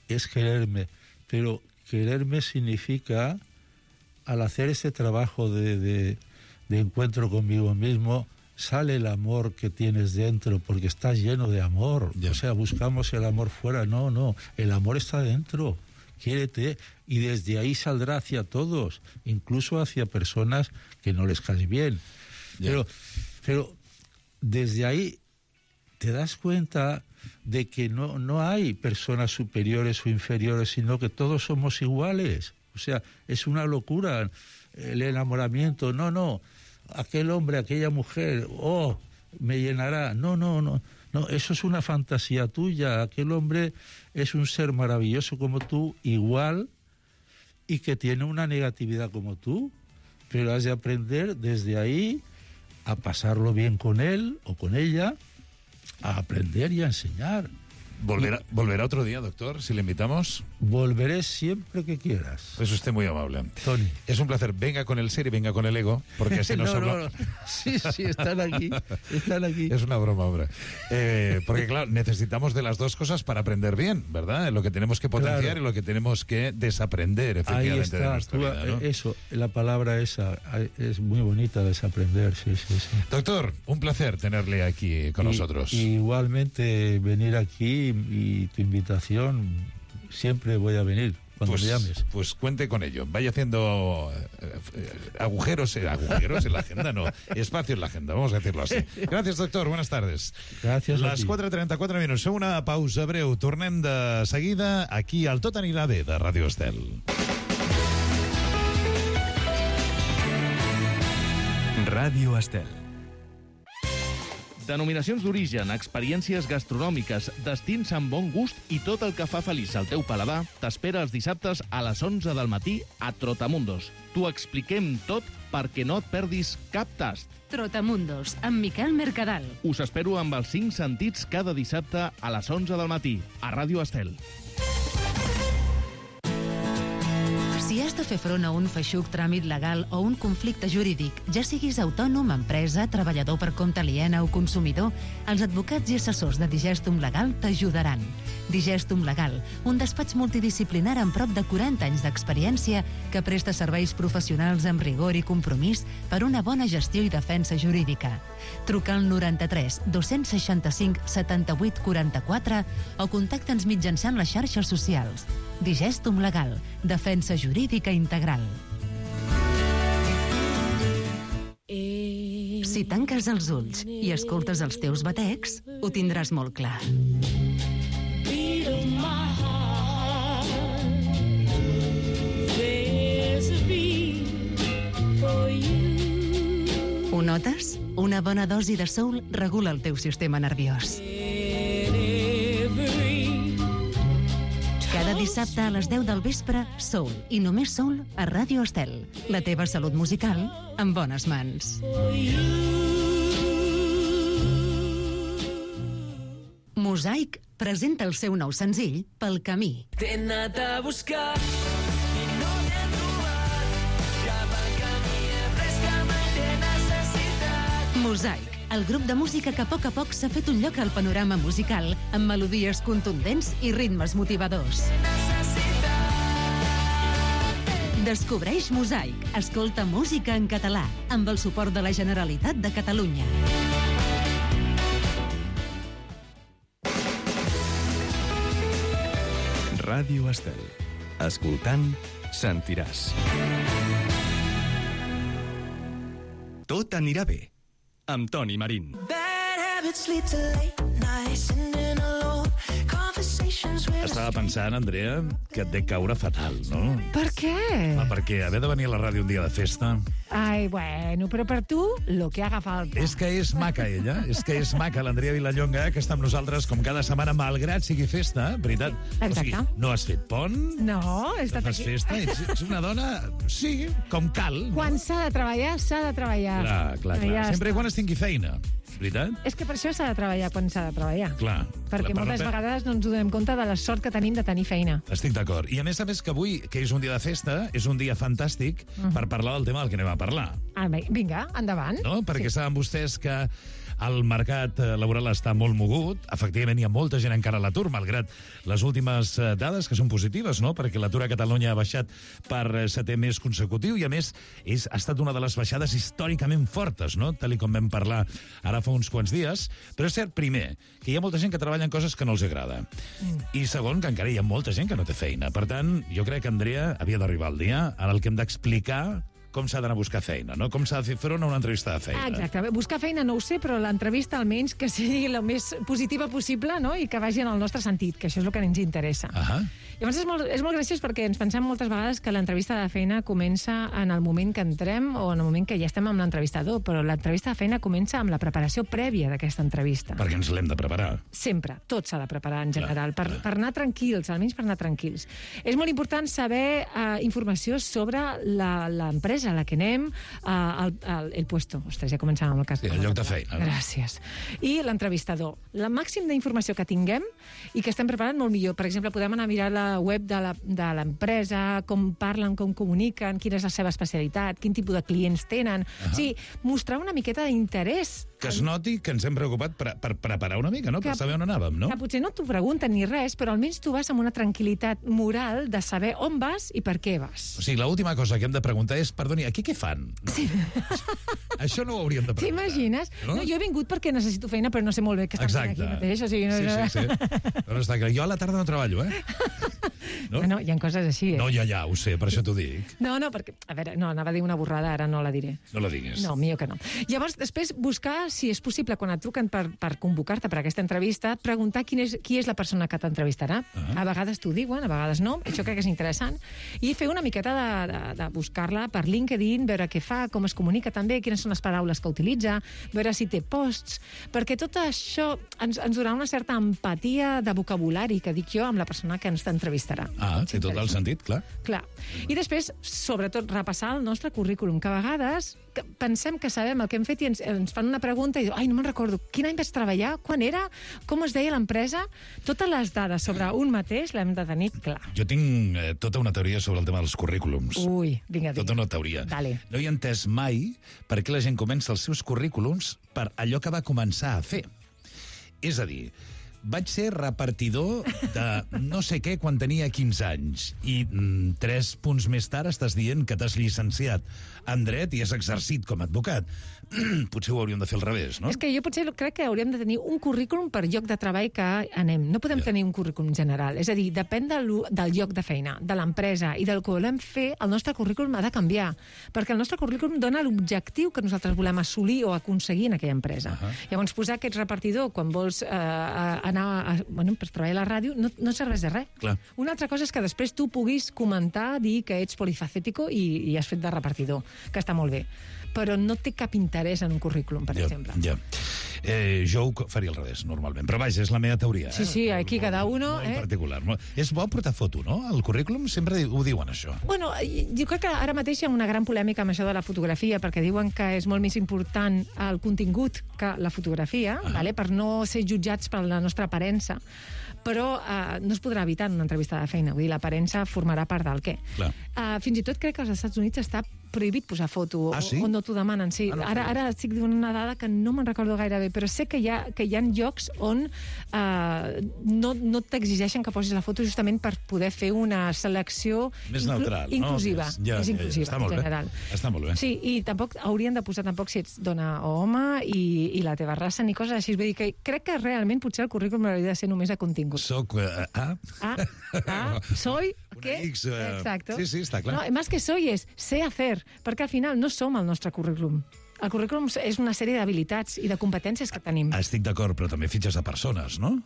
es quererme, pero quererme significa, al hacer este trabajo de encuentro conmigo mismo, sale el amor que tienes dentro, porque estás lleno de amor. O sea, buscamos el amor fuera, no, el amor está dentro. Quiérete, y desde ahí saldrá hacia todos, incluso hacia personas que no les caes bien. Pero desde ahí te das cuenta de que no hay personas superiores o inferiores, sino que todos somos iguales. O sea, es una locura el enamoramiento. No, aquel hombre, aquella mujer, me llenará. No, eso es una fantasía tuya. Aquel hombre es un ser maravilloso como tú, igual, y que tiene una negatividad como tú, pero has de aprender desde ahí a pasarlo bien con él o con ella, a aprender y a enseñar. ¿Volverá otro día, doctor, si le invitamos? Volveré siempre que quieras. Es usted muy amable. Tony. Es un placer. Venga con el ser y venga con el ego, porque así nos hablamos. No. Sí, están aquí. Es una broma, hombre. Porque, claro, necesitamos de las dos cosas para aprender bien, ¿verdad? Lo que tenemos que potenciar y lo que tenemos que desaprender, efectivamente, de nuestra vida, ¿no? Eso, la palabra esa es muy bonita, desaprender, sí. Doctor, un placer tenerle aquí con nosotros. Igualmente, venir aquí y tu invitación, siempre voy a venir cuando me llames. Pues cuente con ello. Vaya haciendo agujeros en la agenda, no, espacio en la agenda, vamos a decirlo así. Gracias, doctor, buenas tardes. Gràcies. Les 4:34 minuts. Fem una pausa breu. Tornem de seguida aquí al Tot anirà bé de Ràdio Estel. Ràdio Estel. Denominacions d'origen, experiències gastronòmiques, destins amb bon gust i tot el que fa feliç al teu paladar t'espera els dissabtes a les 11 del matí a Trotamundos. T'ho expliquem tot perquè no et perdis cap tast. Trotamundos, amb Miquel Mercadal. Us espero amb els 5 sentits cada dissabte a les 11 del matí a Ràdio Estel. Si has de fer front a un feixuc tràmit legal o un conflicte jurídic, ja siguis autònom, empresa, treballador per compte aliena o consumidor, els advocats i assessors de Digestum Legal t'ajudaran. Digestum Legal, un despatx multidisciplinar amb prop de 40 anys d'experiència que presta serveis professionals amb rigor i compromís per una bona gestió i defensa jurídica. Truca al 93 265 78 44 o contacta'ns mitjançant les xarxes socials. Digestum Legal, defensa jurídica integral. Si tanques els ulls i escoltes els teus batecs, ho tindràs molt clar. Ho notes? Una bona dosi de soul regula el teu sistema nerviós. Cada dissabte a les 10 del vespre, Soul, i només Soul, a Ràdio Estel. La teva salut musical en bones mans. Mosaic presenta el seu nou senzill, Pel camí. T'he anat a buscar i no t'he trobat. Cap al camí he pres que mai t'he necessitat. Mosaic, el grup de música que a poc s'ha fet un lloc al panorama musical amb melodies contundents i ritmes motivadors. Descobreix Mosaic. Escolta música en català amb el suport de la Generalitat de Catalunya. Ràdio Estel. Escoltant, sentiràs. Tot anirà bé. Amb Toni Marín. Estava pensant, Andrea, que et dec caure fatal, no? Per què? Perquè haver de venir a la ràdio un dia de festa... Ai, bueno, però per tu, lo que haga falta. És que és maca, ella. És que és maca, l'Andrea Vilallonga, que està amb nosaltres com cada setmana, malgrat sigui festa, veritat? Exacte. O sigui, no has fet pont? No, he estat fas aquí. Festa? Ets una dona, sí, com cal. No? Quan s'ha de treballar, s'ha de treballar. Clar. Ja Sempre i quan es tingui feina, veritat? És que per això s'ha de treballar quan s'ha de treballar. Clar. Perquè moltes vegades no ens donem compte de la sort que tenim de tenir feina. Estic d'acord. I a més que avui, que és un dia de festa, és un dia fantàstic per parlar del tema del que anem a parlar. Ah, vinga, endavant. No? Perquè saben vostès que el mercat laboral està molt mogut. Efectivament, hi ha molta gent encara a l'atur, malgrat les últimes dades, que són positives, no? Perquè l'atur a Catalunya ha baixat per 7è mes consecutiu i, a més, ha estat una de les baixades històricament fortes, no? Tal com vam parlar ara fa uns quants dies. Però és cert, primer, que hi ha molta gent que treballa en coses que no els agrada. I segon, que encara hi ha molta gent que no té feina. Per tant, jo crec que, Andrea, havia d'arribar el dia en el que hem d'explicar com s'ha d'anar a buscar feina, no? Com s'ha de fer front a una entrevista de feina. Exacte. Buscar feina no ho sé, però l'entrevista almenys que sigui la més positiva possible, no? I que vagi en el nostre sentit, que això és el que ens interessa. Llavors és molt graciós perquè ens pensem moltes vegades que l'entrevista de feina comença en el moment que entrem o en el moment que ja estem amb l'entrevistador, però l'entrevista de feina comença amb la preparació prèvia d'aquesta entrevista. Perquè ens l'hem de preparar. Sempre. Tot s'ha de preparar en general, per anar tranquils, almenys per anar tranquils. És molt important saber informació sobre l'empresa a la que anem, el puesto. Ostres, ja començàvem amb el cas. Sí, el lloc de feina. Gràcies. I l'entrevistador. La màxim d'informació que tinguem i que estem preparant molt millor. Per exemple, podem anar a mirar la web de l'empresa, com parlen, com comuniquen, quina és la seva especialitat, quin tipus de clients tenen. O sigui, mostrar una miqueta d'interès. Que es noti que ens hem preocupat per preparar una mica, no? Per saber on anàvem, no? Que potser no t'ho pregunten ni res, però almenys tu vas amb una tranquil·litat moral de saber on vas i per què vas. O sigui, l'última cosa que hem de preguntar és, perdoni, aquí què fan? Sí. Això no ho hauríem de preguntar. T'imagines? No, jo he vingut perquè necessito feina, però no sé molt bé què estan fent aquí mateix. O sigui, sí. Però està clar. Jo a la tarda no treballo, no? No, hi ha coses així. No, ja, ho sé, per això t'ho dic. No, perquè, a veure, no, anava a dir una borrada, ara no la diré. No la digues. No, millor que no. Llavors, després, buscar, si és possible, quan et truquen per convocar-te per aquesta entrevista, preguntar qui és la persona que t'entrevistarà. A vegades t'ho diuen, a vegades no, això crec que és interessant. I fer una miqueta de buscar-la per LinkedIn, veure què fa, com es comunica també, quines són les paraules que utilitza, veure si té posts, perquè tot això ens donarà una certa empatia de vocabulari, que dic jo, amb la persona que ens entrevistarà. Té tot el sentit, clar. Clar. I després, sobretot, repassar el nostre currículum, que a vegades pensem que sabem el que hem fet i ens fan una pregunta i diu, ai, no me'n recordo, quin any vaig treballar, quan era, com es deia l'empresa? Totes les dades sobre un mateix l'hem de tenir clar. Jo tinc tota una teoria sobre el tema dels currículums. Ui, vinga, Tota una teoria. Dale. No he entès mai per què la gent comença els seus currículums per allò que va començar a fer. És a dir, vaig ser repartidor de no sé què quan tenia 15 anys i 3 punts més tard estàs dient que t'has llicenciat en dret i has exercit com a advocat. Potser ho hauríem de fer al revés, no? És que jo potser crec que hauríem de tenir un currículum per lloc de treball que anem. No podem tenir un currículum general. És a dir, depèn del lloc de feina, de l'empresa i del que volem fer, el nostre currículum ha de canviar. Perquè el nostre currículum dona l'objectiu que nosaltres volem assolir o aconseguir en aquella empresa. Llavors, posar que ets repartidor quan vols anar per treballar a la ràdio no serveix de res. Clar. Una altra cosa és que després tu puguis comentar, dir que ets polifacético i has fet de repartidor, que està molt bé. Però no té cap interès en un currículum, per exemple. Ja. Jo ho faria al revés, normalment. Però vaja, és la meva teoria. Sí, aquí cada uno... Molt particular. És bo portar foto, no? Al currículum sempre ho diuen, això. Bueno, jo crec que ara mateix hi ha una gran polèmica amb això de la fotografia, perquè diuen que és molt més important el contingut que la fotografia, per no ser jutjats per la nostra aparença. Però no es podrà evitar en una entrevista de feina. Vull dir, l'aparença formarà part del què. Fins i tot crec que als Estats Units està prohibit posar foto, o no t'ho demanen. Sí. Ara estic dient una dada que no me'n recordo gaire bé, però sé que hi ha llocs on no t'exigeixen que posis la foto justament per poder fer una selecció més neutral, inclusiva. Més inclusiva, en general. Està molt bé. Sí, i tampoc haurien de posar si ets dona o home i la teva raça ni coses així. Vull dir que crec que realment potser el currículum hauria de ser només de contingut. Soc soy ¿qué? X, exacto. Sí, està clar. No, más que soy es sé hacer, perquè al final no som el nostre currículum. El currículum és una sèrie d'habilitats i de competències que tenim. Estic d'acord, però també fitxes a persones, no?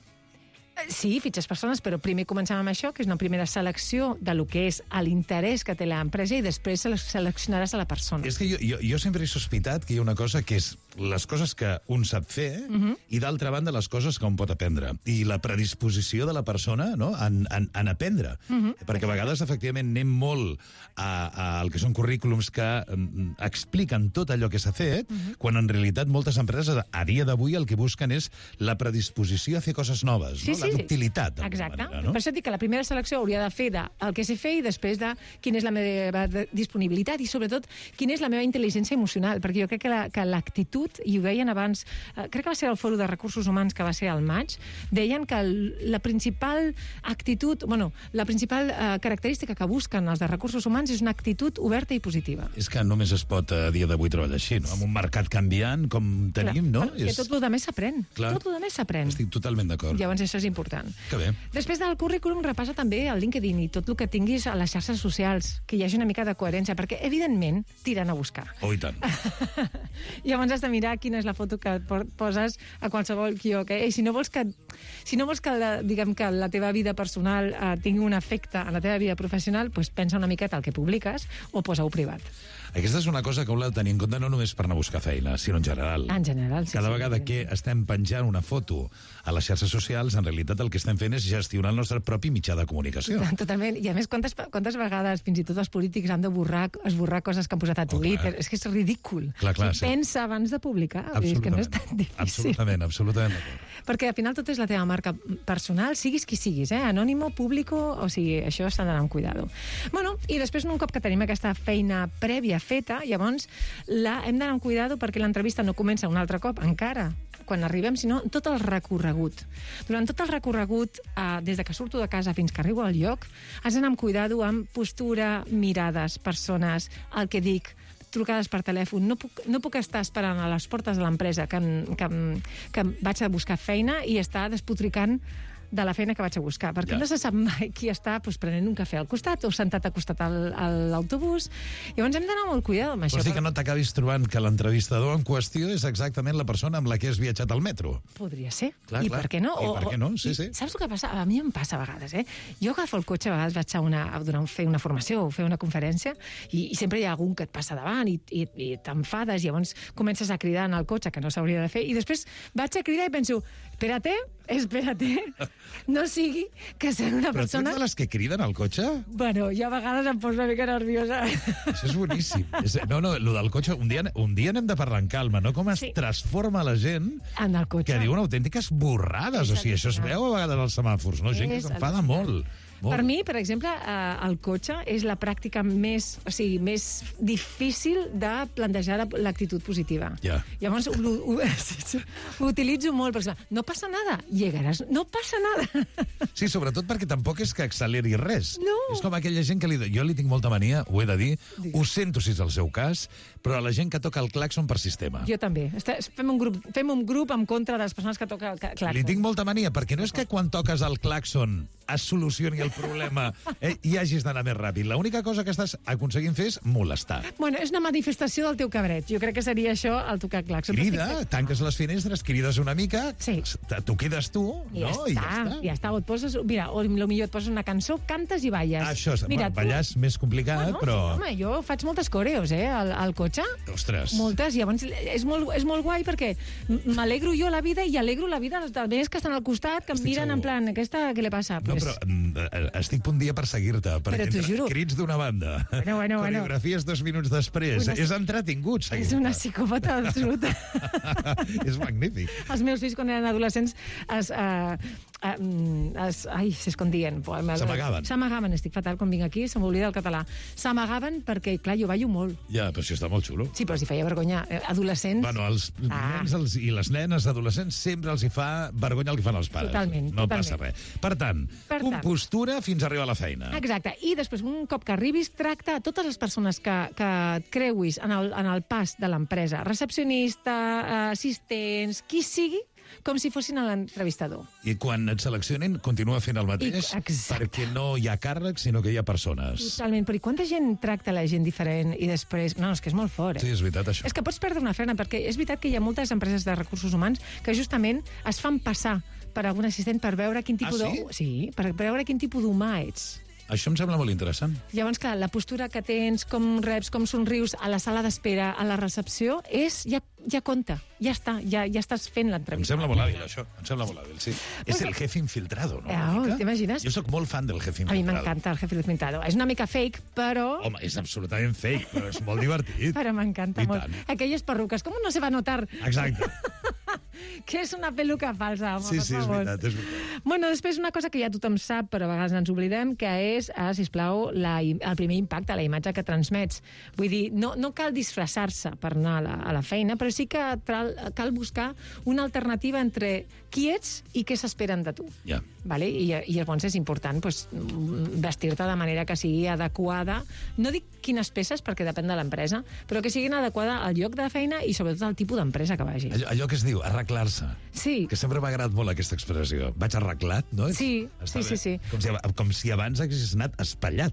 Sí, fitxes persones, però primer comencem amb això, que és una primera selecció de lo que és l'interès que té l'empresa i després seleccionaràs a la persona. És que jo sempre he sospitat que hi ha una cosa que és les coses que un sap fer i d'altra banda les coses que un pot aprendre. I la predisposició de la persona en aprendre. Perquè a vegades, efectivament, anem molt al que són currículums que expliquen tot allò que s'ha fet, quan en realitat moltes empreses a dia d'avui el que busquen és la predisposició a fer coses noves, no? La ductilitat. Exacte. Manera, no? Per això dic que la primera selecció hauria de fer el que sé fer i després de quina és la meva disponibilitat i sobretot quina és la meva intel·ligència emocional, perquè jo crec que l'actitud, i ho deien abans, crec que va ser el Fòrum de Recursos Humans que va ser al maig, deien que la principal actitud, la principal característica que busquen els de recursos humans és una actitud oberta i positiva. És que només es pot a dia d'avui treballar així, no? Amb un mercat canviant com tenim, no? Que tot el demés s'aprèn. Tot el demés s'aprèn. Estic totalment d'acord. Llavors això és important. Que bé. Després del currículum repassa també el LinkedIn i tot el que tinguis a les xarxes socials, que hi hagi una mica de coherència, perquè evidentment tiren a buscar. Oh, i tant. Llavors has de mirar quina és la foto que poses a qualsevol quiosc. I si no vols que la teva vida personal tingui un efecte en la teva vida professional, doncs pensa una miqueta el que publiques o posa-ho privat. Aquesta és una cosa que heu de tenir en compte no només per anar a buscar feina, sinó en general. En general, sí. Cada vegada que estem penjant una foto a les xarxes socials, en realitat el que estem fent és gestionar el nostre propi mitjà de comunicació. Totalment. I a més, quantes vegades fins i tot els polítics han de esborrar coses que han posat a Twitter? És que és ridícul. Clar, sí. Pensa abans de publicar. És que no és tan difícil. Absolutament d'acord. Perquè al final tot és la teva marca personal, siguis qui siguis, anònimo, público, o sigui, això s'ha d'anar amb cuidado. I després, un cop que tenim aquesta feina prèvia feta, llavors hem d'anar amb cuidado perquè l'entrevista no comença un altre cop, encara, quan arribem, sinó tot el recorregut. Durant tot el recorregut, des de que surto de casa fins que arribo al lloc, has d'anar amb cuidado amb postura, mirades, persones, el que dic, trucades per telèfon. No puc estar esperant a les portes de l'empresa que vaig a buscar feina i estar despotricant de la feina que vaig a buscar, perquè no se sap mai qui està prenent un cafè al costat o sentat al costat a l'autobús. Llavors hem d'anar molt cuidado amb això. Vols dir que no t'acabis trobant que l'entrevistador en qüestió és exactament la persona amb la que has viatjat al metro? Podria ser. Clar, I per què no? I per què no? Sí, sí. Saps el que passa? A mi em passa a vegades, Jo agafo el cotxe, a vegades vaig a fer una formació o fer una conferència i sempre hi ha algun que et passa davant i t'enfades, i llavors comences a cridar en el cotxe, que no s'hauria de fer, i després vaig a cridar i penso, espérate, no sigui que ser una persona... Però tu ets de les que criden al cotxe? Bueno, jo a vegades em poso una mica nerviosa. Això és boníssim. No, lo del cotxe, un dia n'hem de parlar en calma, no? Com es transforma la gent en el cotxe. Que diuen autèntiques borrades. O sigui, això es veu a vegades als semàfors, no? Gent que s'enfada molt. Per mi, per exemple, el cotxe és la pràctica més difícil de plantejar l'actitud positiva. Llavors, ho utilitzo molt, perquè no passa nada, llegaràs, no passa nada. Sí, sobretot perquè tampoc és que acceleri res. No. És com aquella gent que jo li tinc molta mania, ho he de dir, ho sento si és el seu cas, però a la gent que toca el claxon per sistema. Jo també. Fem un grup en contra de les persones que toquen el claxon. Li tinc molta mania, perquè no és que quan toques el claxon es solucioni el problema i hagis d'anar més ràpid. L'única cosa que estàs aconseguint fer és molestar. Bueno, és una manifestació del teu cabret. Jo crec que seria això, el tocar claxon. Crida, tanques les finestres, crides una mica, t'ho quedes tu, no? I ja està. O et poses, mira, o millor et poses una cançó, cantes i balles. Això, ballar és més complicat, però... Sí, home, jo faig moltes coreos, al cotxe. Ostres. Moltes, i llavors és molt guai perquè m'alegro jo la vida i alegro la vida dels veïns que estan al costat, que em miren en plan, aquesta, què li passa? No, però estic un dia per seguir-te, perquè entre crits d'una banda, coreografies 2 minuts després, és entretingut seguir-te. És una psicòpata absoluta. És magnífic. Els meus fills, quan eren adolescents, s'escondien. S'amagaven, estic fatal quan vinc aquí, se m'oblida el català. S'amagaven perquè, clar, jo ballo molt. Ja, però això està molt xulo. Sí, però si feia vergonya. Adolescents... Bueno, els nens i les nenes adolescents sempre els hi fa vergonya el que fan els pares. Totalment. No passa res. Per tant, compostura fins a arribar a la feina. Exacte. I després, un cop que arribis, tracta a totes les persones que et creuis en el pas de l'empresa. Recepcionista, assistents, qui sigui, com si fossin l'entrevistador. I quan et seleccionin, continua fent el mateix, perquè no hi ha càrrecs, sinó que hi ha persones. Totalment, però i quanta gent tracta la gent diferent i després... No, és que és molt fort, Sí, és veritat, això. És que pots perdre una feina, perquè és veritat que hi ha moltes empreses de recursos humans que justament es fan passar per algun assistent per veure quin tipus per veure quin tipus d'humà ets. Això em sembla molt interessant. Llavors, clar, la postura que tens, com reps, com somrius a la sala d'espera, a la recepció, ja compta, ja està, ja estàs fent l'entrevista. Em sembla molt hàbil, això. Em sembla molt hàbil, sí. És el jefe infiltrado, no? T'imagines? Jo sóc molt fan del jefe infiltrado. A mi m'encanta el jefe infiltrado. És una mica fake, però... Home, és absolutament fake, però és molt divertit. Però m'encanta molt. Aquelles perruques, com no se va notar? Exacte. Que és una peluca falsa, home, sí, és veritat, és veritat. Bueno, després una cosa que ja tothom sap, però a vegades ens oblidem, que és, sisplau, el primer impacte, la imatge que transmets. Vull dir, no cal disfressar-se per anar a la feina, però sí que cal buscar una alternativa entre qui ets i què s'esperen de tu. Ja. Vale? I llavors és important vestir-te de manera que sigui adequada. No dic quines peces, perquè depèn de l'empresa, però que siguin adequada al lloc de feina i sobretot al tipus d'empresa que vagi. Allò que es diu arreglar-se. Sí. Que sempre m'ha agradat molt aquesta expressió. Vaig arreglat, no? Sí. Com si abans haguessis anat espatllat.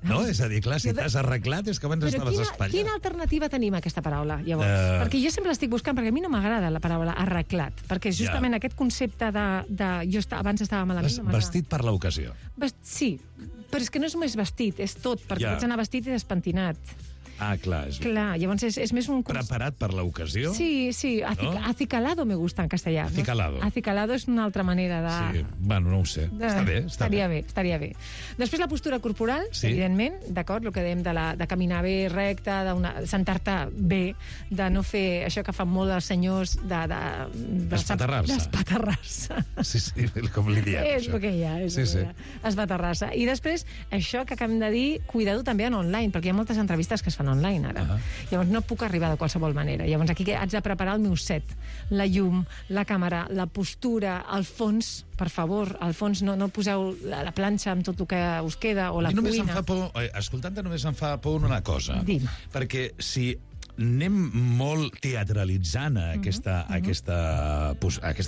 No? És a dir, clar, si t'has arreglat és que abans estaves espatllat. Quina alternativa tenim a aquesta paraula, llavors? Perquè jo sempre l'estic buscant, perquè a mi no m'agrada la paraula arreglat, perquè justament aquest concepte de jo abans estava malament... Vestit per l'ocasió. Sí, però és que no és només vestit, és tot, perquè pots anar vestit i despentinat. Ah, clar. Clar, llavors és més un... Preparat per l'ocasió? Sí, acicalado me gusta en castellà. Acicalado. Acicalado és una altra manera de... Sí, bueno, no ho sé. Està bé. Estaria bé. Després la postura corporal, evidentment, d'acord, el que dèiem de caminar bé, recte, de sentar-te bé, de no fer això que fan molt els senyors Espaterrar-se. Sí, com li diem, això. És el que hi ha. Espaterrar-se. I després, això que acabem de dir, cuidado també en online, perquè hi ha moltes entrevistes que es fan online, ara. Llavors no puc arribar de qualsevol manera. Llavors aquí haig de preparar el meu set. La llum, la càmera, la postura, el fons, per favor, al fons no poseu la planxa amb tot el que us queda, o la cuina. Escoltant-te només em fa por una cosa. Dime. Perquè si anem molt teatralitzant aquesta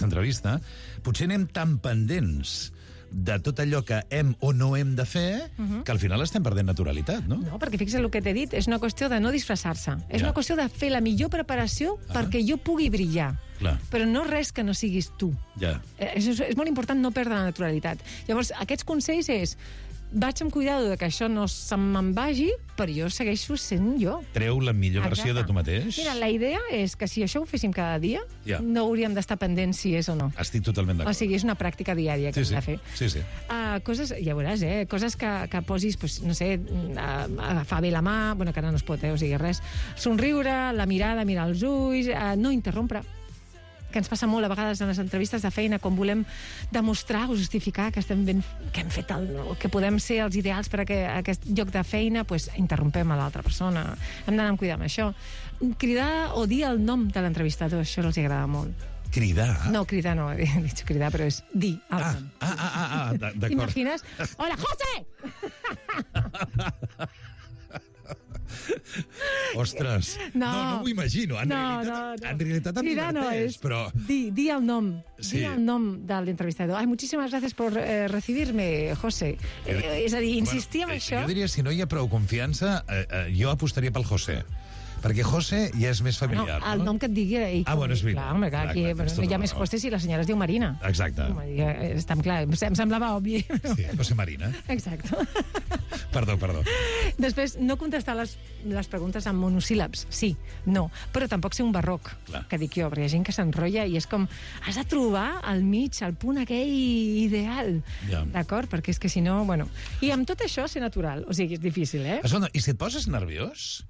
entrevista. Potser anem tan pendents de tot allò que hem o no hem de fer, que al final estem perdent naturalitat, no? No, perquè fixa't el que t'he dit, és una qüestió de no disfressar-se. És una qüestió de fer la millor preparació perquè jo pugui brillar. Clar. Però no res que no siguis tu. Ja. És molt important no perdre la naturalitat. Llavors, aquests consells és... Vaig amb cuidado de que això no se me'n vagi, però jo segueixo sent jo. Treu la millor versió de tu mateix. Mira, la idea és que si això ho féssim cada dia, no hauríem d'estar pendents si és o no. Estic totalment d'acord. O sigui, és una pràctica diària que hem de fer. Sí. Coses, ja veuràs, coses que posis, pues, no sé, agafar bé la mà, bueno, que ara no es pot, o sigui, res. Somriure, la mirada, mirar els ulls, no interrompre, que ens passa molt a vegades en les entrevistes de feina, quan volem demostrar o justificar que estem ben, que hem fet que podem ser els ideals per a aquest lloc de feina, pues, interrompem a l'altra persona. Hem d'anar amb cuidar amb això. Cridar o dir el nom de l'entrevistador, això els agrada molt. Cridar? No, cridar no, he dit cridar, però és dir el nom. D'acord. T'imagines? Hola, José! Ostres, no m'ho imagino. En realitat em diverteix, però... Di el nom. Di el nom de l'entrevistador. Ai, muchísimas gracias por recibirme, José. És a dir, insistir en això... Jo diria, si no hi ha prou confiança, jo apostaria pel José. Perquè José ja és més familiar, no? El nom que et digui... Bueno, és veritat. Clar, home, aquí hi ha més José si la senyora es diu Marina. Exacte. Estem clar, em semblava obvi. Sí, José Marina. Exacte. Perdó. Després, no contestar les preguntes amb monosíl·labs. Sí, no. Però tampoc ser un barroc, que dic jo, perquè hi ha gent que s'enrotlla i és com... Has de trobar al mig, el punt aquell ideal. D'acord? Perquè és que si no... Bueno. I amb tot això, ser natural. O sigui, és difícil, Escolta, i si et poses nerviós...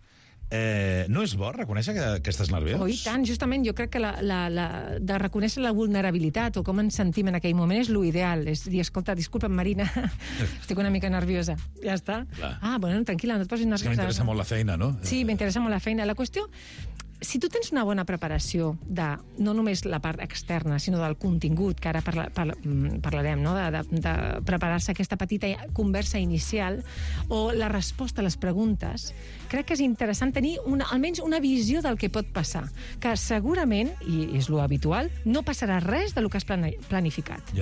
no és bo reconèixer que estàs nerviós? I tant, justament jo crec que de reconèixer la vulnerabilitat o com ens sentim en aquell moment és l'ideal, és dir, escolta, disculpa'm, Marina, estic una mica nerviosa. Ja està. Bueno, tranquil·la, no et posis nerviosa. És que m'interessa molt la feina, no? Sí, m'interessa molt la feina. La qüestió, si tu tens una bona preparació de no només la part externa, sinó del contingut, que ara parlarem, no? de preparar-se aquesta petita conversa inicial o la resposta a les preguntes, crec que és interessant tenir almenys una visió del que pot passar, que segurament, i és lo habitual, no passarà res del que has planificat.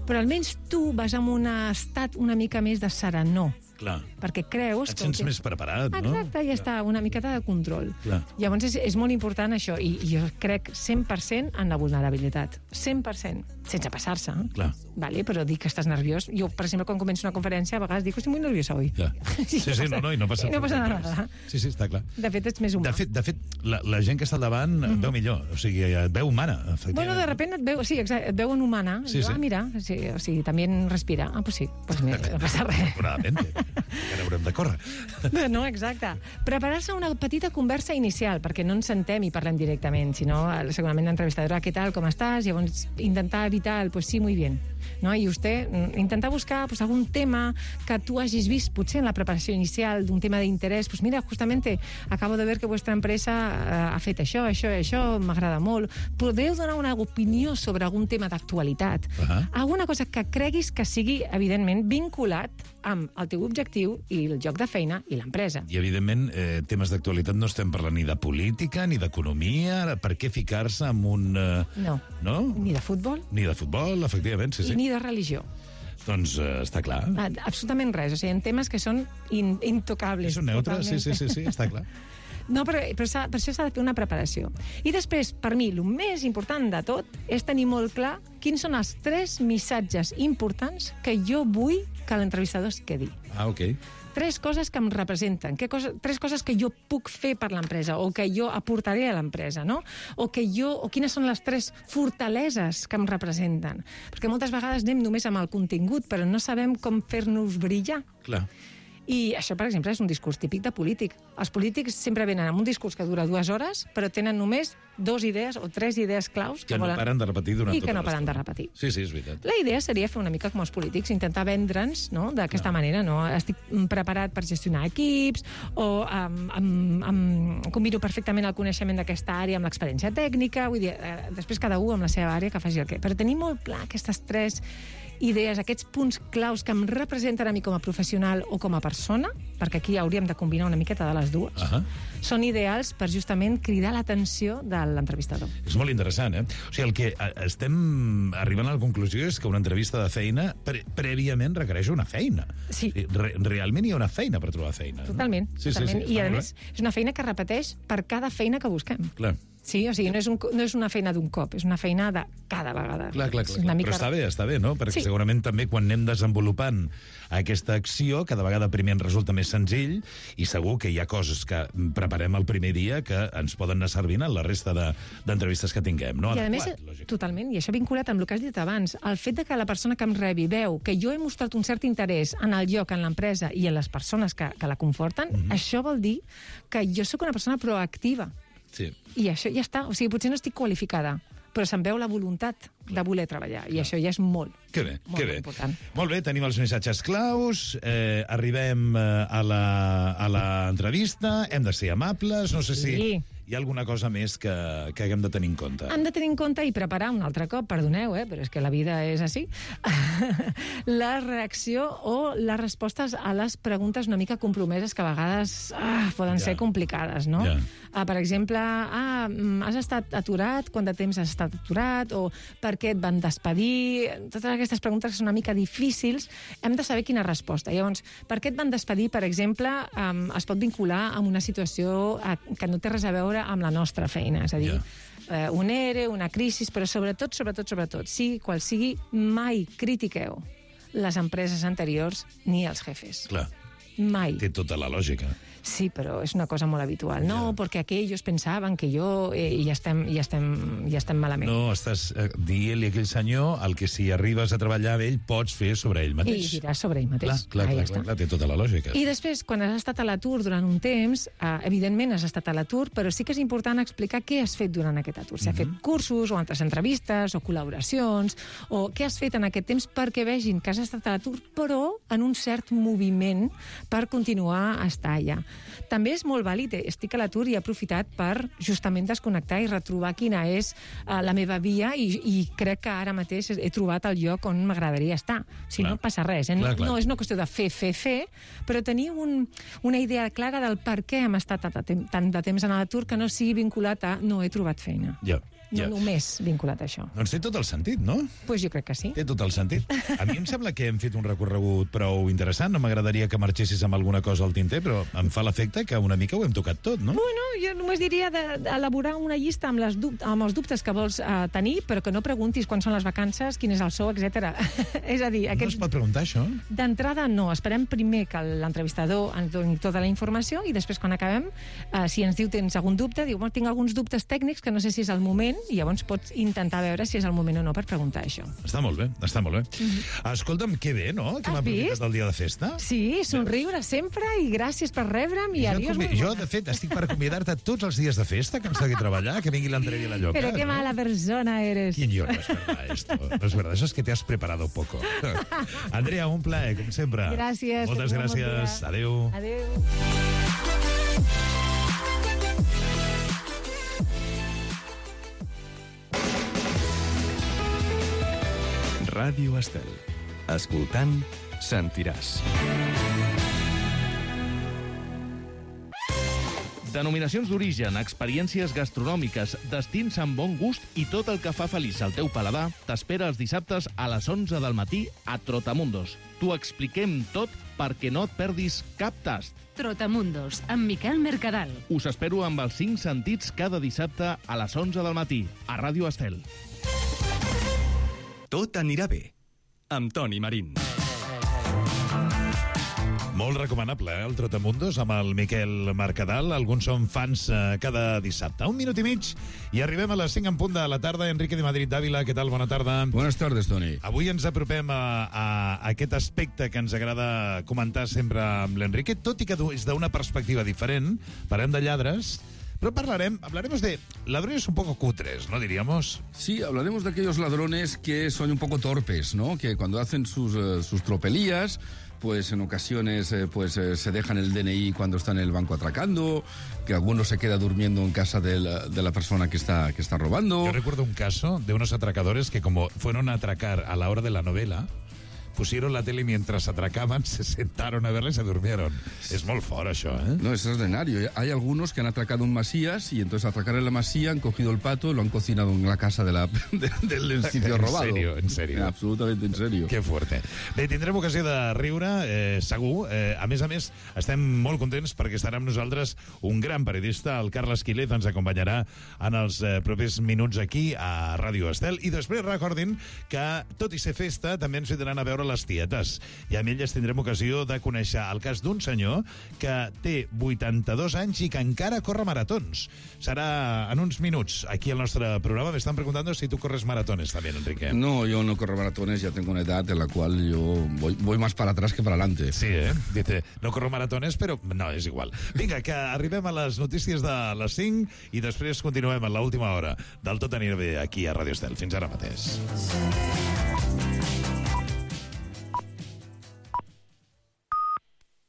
Però almenys tu vas amb un estat una mica més de serenor. Clar. Perquè creus... Et sents més preparat, no? Exacte, ja està, una miqueta de control. Llavors és molt important això, i jo crec 100% en la vulnerabilitat. 100%, sense passar-se. Clar. Vale, però dir que estàs nerviós... Jo, per exemple, quan començo una conferència, a vegades dic, estic molt nerviosa avui. Sí, i no passa nada. Sí, està clar. De fet, ets més humà. De fet, la gent que està al davant et veu millor, o sigui, et veu humana, efectivament. Bueno, de repente et veu, sí, exacte, et veuen humana. Mira, o sigui, també respira. Pues sí, pues mira, no passa res. Que n'haurem de córrer. No, exacte. Preparar-se una petita conversa inicial, perquè no ens sentem i parlem directament, sinó segurament l'entrevistadora, què tal, com estàs? Llavors, intentar evitar el, pues sí, muy bien. ¿no? I usted intentar buscar pues, algún tema que tu hagis vist potser en la preparació inicial d'un tema d'interès. Pues mira, justamente acabo de ver que vuestra empresa ha fet això, m'agrada molt. Podeu donar una opinió sobre algun tema d'actualitat. Alguna cosa que creguis que sigui, evidentment, vinculat amb el teu objectiu i el lloc de feina i l'empresa. I, evidentment, temes d'actualitat no estem parlant ni de política, ni d'economia. Per què ficar-se en un... No. Ni de futbol. Ni de futbol, efectivament, sí. I ni de religió. Doncs està clar. Absolutament res. O sigui, en temes que són intocables. Són neutres, sí, està clar. No, però per això s'ha de fer una preparació. I després, per mi, el més important de tot és tenir molt clar quins són els 3 missatges importants que jo vull que l'entrevistador es quedi. Ok. 3 coses que em representen, 3 coses que jo puc fer per l'empresa o que jo aportaré a l'empresa, no? O quines són les 3 fortaleses que em representen. Perquè moltes vegades anem només amb el contingut, però no sabem com fer-nos brillar. Clar. I això, per exemple, és un discurs típic de polític. Els polítics sempre venen amb un discurs que dura 2 hores, però tenen només 2 idees o 3 idees claus que no paren de repetir durant i que tota no paren de l'estona. repetir. Sí, és veritat. La idea seria fer una mica com els polítics, intentar vendre'ns, no?, d'aquesta manera, no? Estic preparat per gestionar equips o combino perfectament el coneixement d'aquesta àrea amb l'experiència tècnica, vull dir, després cada un amb la seva àrea que faci el que... Però tenir molt clar aquestes 3 idees, aquests punts claus que em representen a mi com a professional o com a persona, perquè aquí hauríem de combinar una miqueta de les dues, són ideals per justament cridar l'atenció de l'entrevistador. És molt interessant, eh? O sigui, el que estem arribant a la conclusió és que una entrevista de feina prèviament requereix una feina. Sí. Realment hi ha una feina per trobar feina. Totalment. Sí, totalment. sí, I, a més, és una feina que repeteix per cada feina que busquem. Clar. Sí, o sigui, no és una feina d'un cop, és una feina de cada vegada. Clar. Mica... Però està bé, no? Perquè sí. segurament també quan anem desenvolupant aquesta acció, cada vegada primer ens resulta més senzill i segur que hi ha coses que preparem el primer dia que ens poden anar servint en la resta d'entrevistes que tinguem, no? I a més, totalment, i això vinculat amb el que has dit abans, el fet de que la persona que em rebi veu que jo he mostrat un cert interès en el lloc, en l'empresa i en les persones que la conforten, això vol dir que jo sóc una persona proactiva. Sí. I això ja està. O sigui, potser no estic qualificada, però se'm veu la voluntat de voler treballar. I això ja és molt, molt important. Molt bé, tenim els missatges claus, arribem a l'entrevista, hem de ser amables, no sé si hi ha alguna cosa més que haguem de tenir en compte. Hem de tenir en compte i preparar un altre cop, perdoneu, però és que la vida és així, la reacció o les respostes a les preguntes una mica compromeses que a vegades poden ser complicades, no? Per exemple, has estat aturat? Quant de temps has estat aturat? O per què et van despedir? Totes aquestes preguntes que són una mica difícils, hem de saber quina resposta. Llavors, per què et van despedir, per exemple, es pot vincular amb una situació que no té res a veure amb la nostra feina, és a dir, un ERE, una crisi, però sobretot, sigui qual sigui, mai critiqueu les empreses anteriors ni els jefes. Clar. Mai. Té tota la lògica. Sí, però és una cosa molt habitual. No, perquè aquells pensaven que jo... I ja estem malament. No, estàs dient-li a aquell senyor el que si arribes a treballar amb ell pots fer sobre ell mateix. I diràs sobre ell mateix. Clar, té tota la lògica. I després, quan has estat a l'atur durant un temps, evidentment has estat a l'atur, però sí que és important explicar què has fet durant aquest atur. Si has fet cursos, o altres entrevistes, o col·laboracions, o què has fet en aquest temps perquè vegin que has estat a l'atur, però en un cert moviment per continuar a estar allà. També és molt vàlid, estic a l'atur i he aprofitat per justament desconnectar i retrobar quina és la meva via i crec que ara mateix he trobat el lloc on m'agradaria estar. Si no passa res. No és una qüestió de fer, però tenir una idea clara del per què hem estat tant de temps en l'atur que no sigui vinculat a no he trobat feina. No només vinculat a això. Doncs té tot el sentit, no? Doncs jo crec que sí. Té tot el sentit. A mi em sembla que hem fet un recorregut prou interessant. No m'agradaria que marxessis amb alguna cosa al tinter, però em fa l'efecte que una mica ho hem tocat tot, no? Bueno, jo només diria d'elaborar una llista amb els dubtes que vols tenir, però que no preguntis quan són les vacances, quin és el sou, etc. És a dir... No es pot preguntar, això? D'entrada, no. Esperem primer que l'entrevistador ens doni tota la informació i després, quan acabem, si ens diu tens algun dubte, diu, tinc alguns dubtes tècnics que no sé si és el moment, i llavors pots intentar veure si és el moment o no per preguntar això. Està molt bé. Escolta'm, que bé, no? Que m'ha aprofitat el dia de festa. Sí, somriure sempre i gràcies per rebre'm i adiós. Jo, de fet, estic per convidar-te tots els dies de festa, que em segui treballar, que vingui l'Andrea i la Lloca. Pero qué mala persona eres. No es verdad esto. No es verdad, eso es que te has preparado poco. Andrea, un plaer, com sempre. Gràcies. Moltes gràcies. Adéu. Adéu. Ràdio Estel. Escoltant, sentiràs. Denominacions d'origen, experiències gastronòmiques, destins amb bon gust i tot el que fa feliç al teu paladar t'espera els dissabtes a les 11 del matí a Trotamundos. T'ho expliquem tot perquè no et perdis cap tast. Trotamundos, amb Miquel Mercadal. Us espero amb els 5 sentits cada dissabte a les 11 del matí a Ràdio Estel. Tot anirà bé, amb Toni Marín. Molt recomanable, el Trotamundos, amb el Miquel Mercadal. Alguns són fans cada dissabte. 1 minut i mig i arribem a les 5 en punt de la tarda. Enrique de Madrid d'Àvila, què tal? Bona tarda. Buenas tardes, Toni. Avui ens apropem a aquest aspecte que ens agrada comentar sempre amb l'Enrique, tot i que és d'una perspectiva diferent. Parlem de lladres, Pero hablaremos de ladrones un poco cutres, ¿no diríamos? Sí, hablaremos de aquellos ladrones que son un poco torpes, ¿no? Que cuando hacen sus tropelías, pues en ocasiones se dejan el DNI cuando está en el banco atracando, que alguno se queda durmiendo en casa de la persona que está robando. Yo recuerdo un caso de unos atracadores que, como fueron a atracar a la hora de la novela, pusieron la tele y mientras atracaban se sentaron a verla y se durmieron. Es muy fort, això, ¿eh? No, es extraordinario. Hay algunos que han atracado un Masías y entonces al atracar en la Masía han cogido el pato y lo han cocinado en la casa del sitio robado. En serio. Absolutamente en serio. Que fuerte. Bé, tindrem ocasió de riure, segur. A més, estem molt contents perquè estarà amb nosaltres un gran periodista, el Carles Quílez, ens acompanyarà en els propers minuts aquí a Ràdio Estel. I després recordin que, tot i ser festa, també ens vindran a veure les tietes. I amb elles tindrem ocasió de conèixer el cas d'un senyor que té 82 anys i que encara corre maratons. Serà en uns minuts aquí al nostre programa. Me están preguntando si tú corres maratones también, Enrique. No, yo no corro maratones, ya tengo una edad en la cual yo voy más para atrás que para adelante. Sí, dice, no corro maratones, però no, és igual. Vinga, que arribem a les notícies de les 5 i després continuem en l'última hora del Tot anirà bé aquí a Ràdio Estel. Fins ara mateix.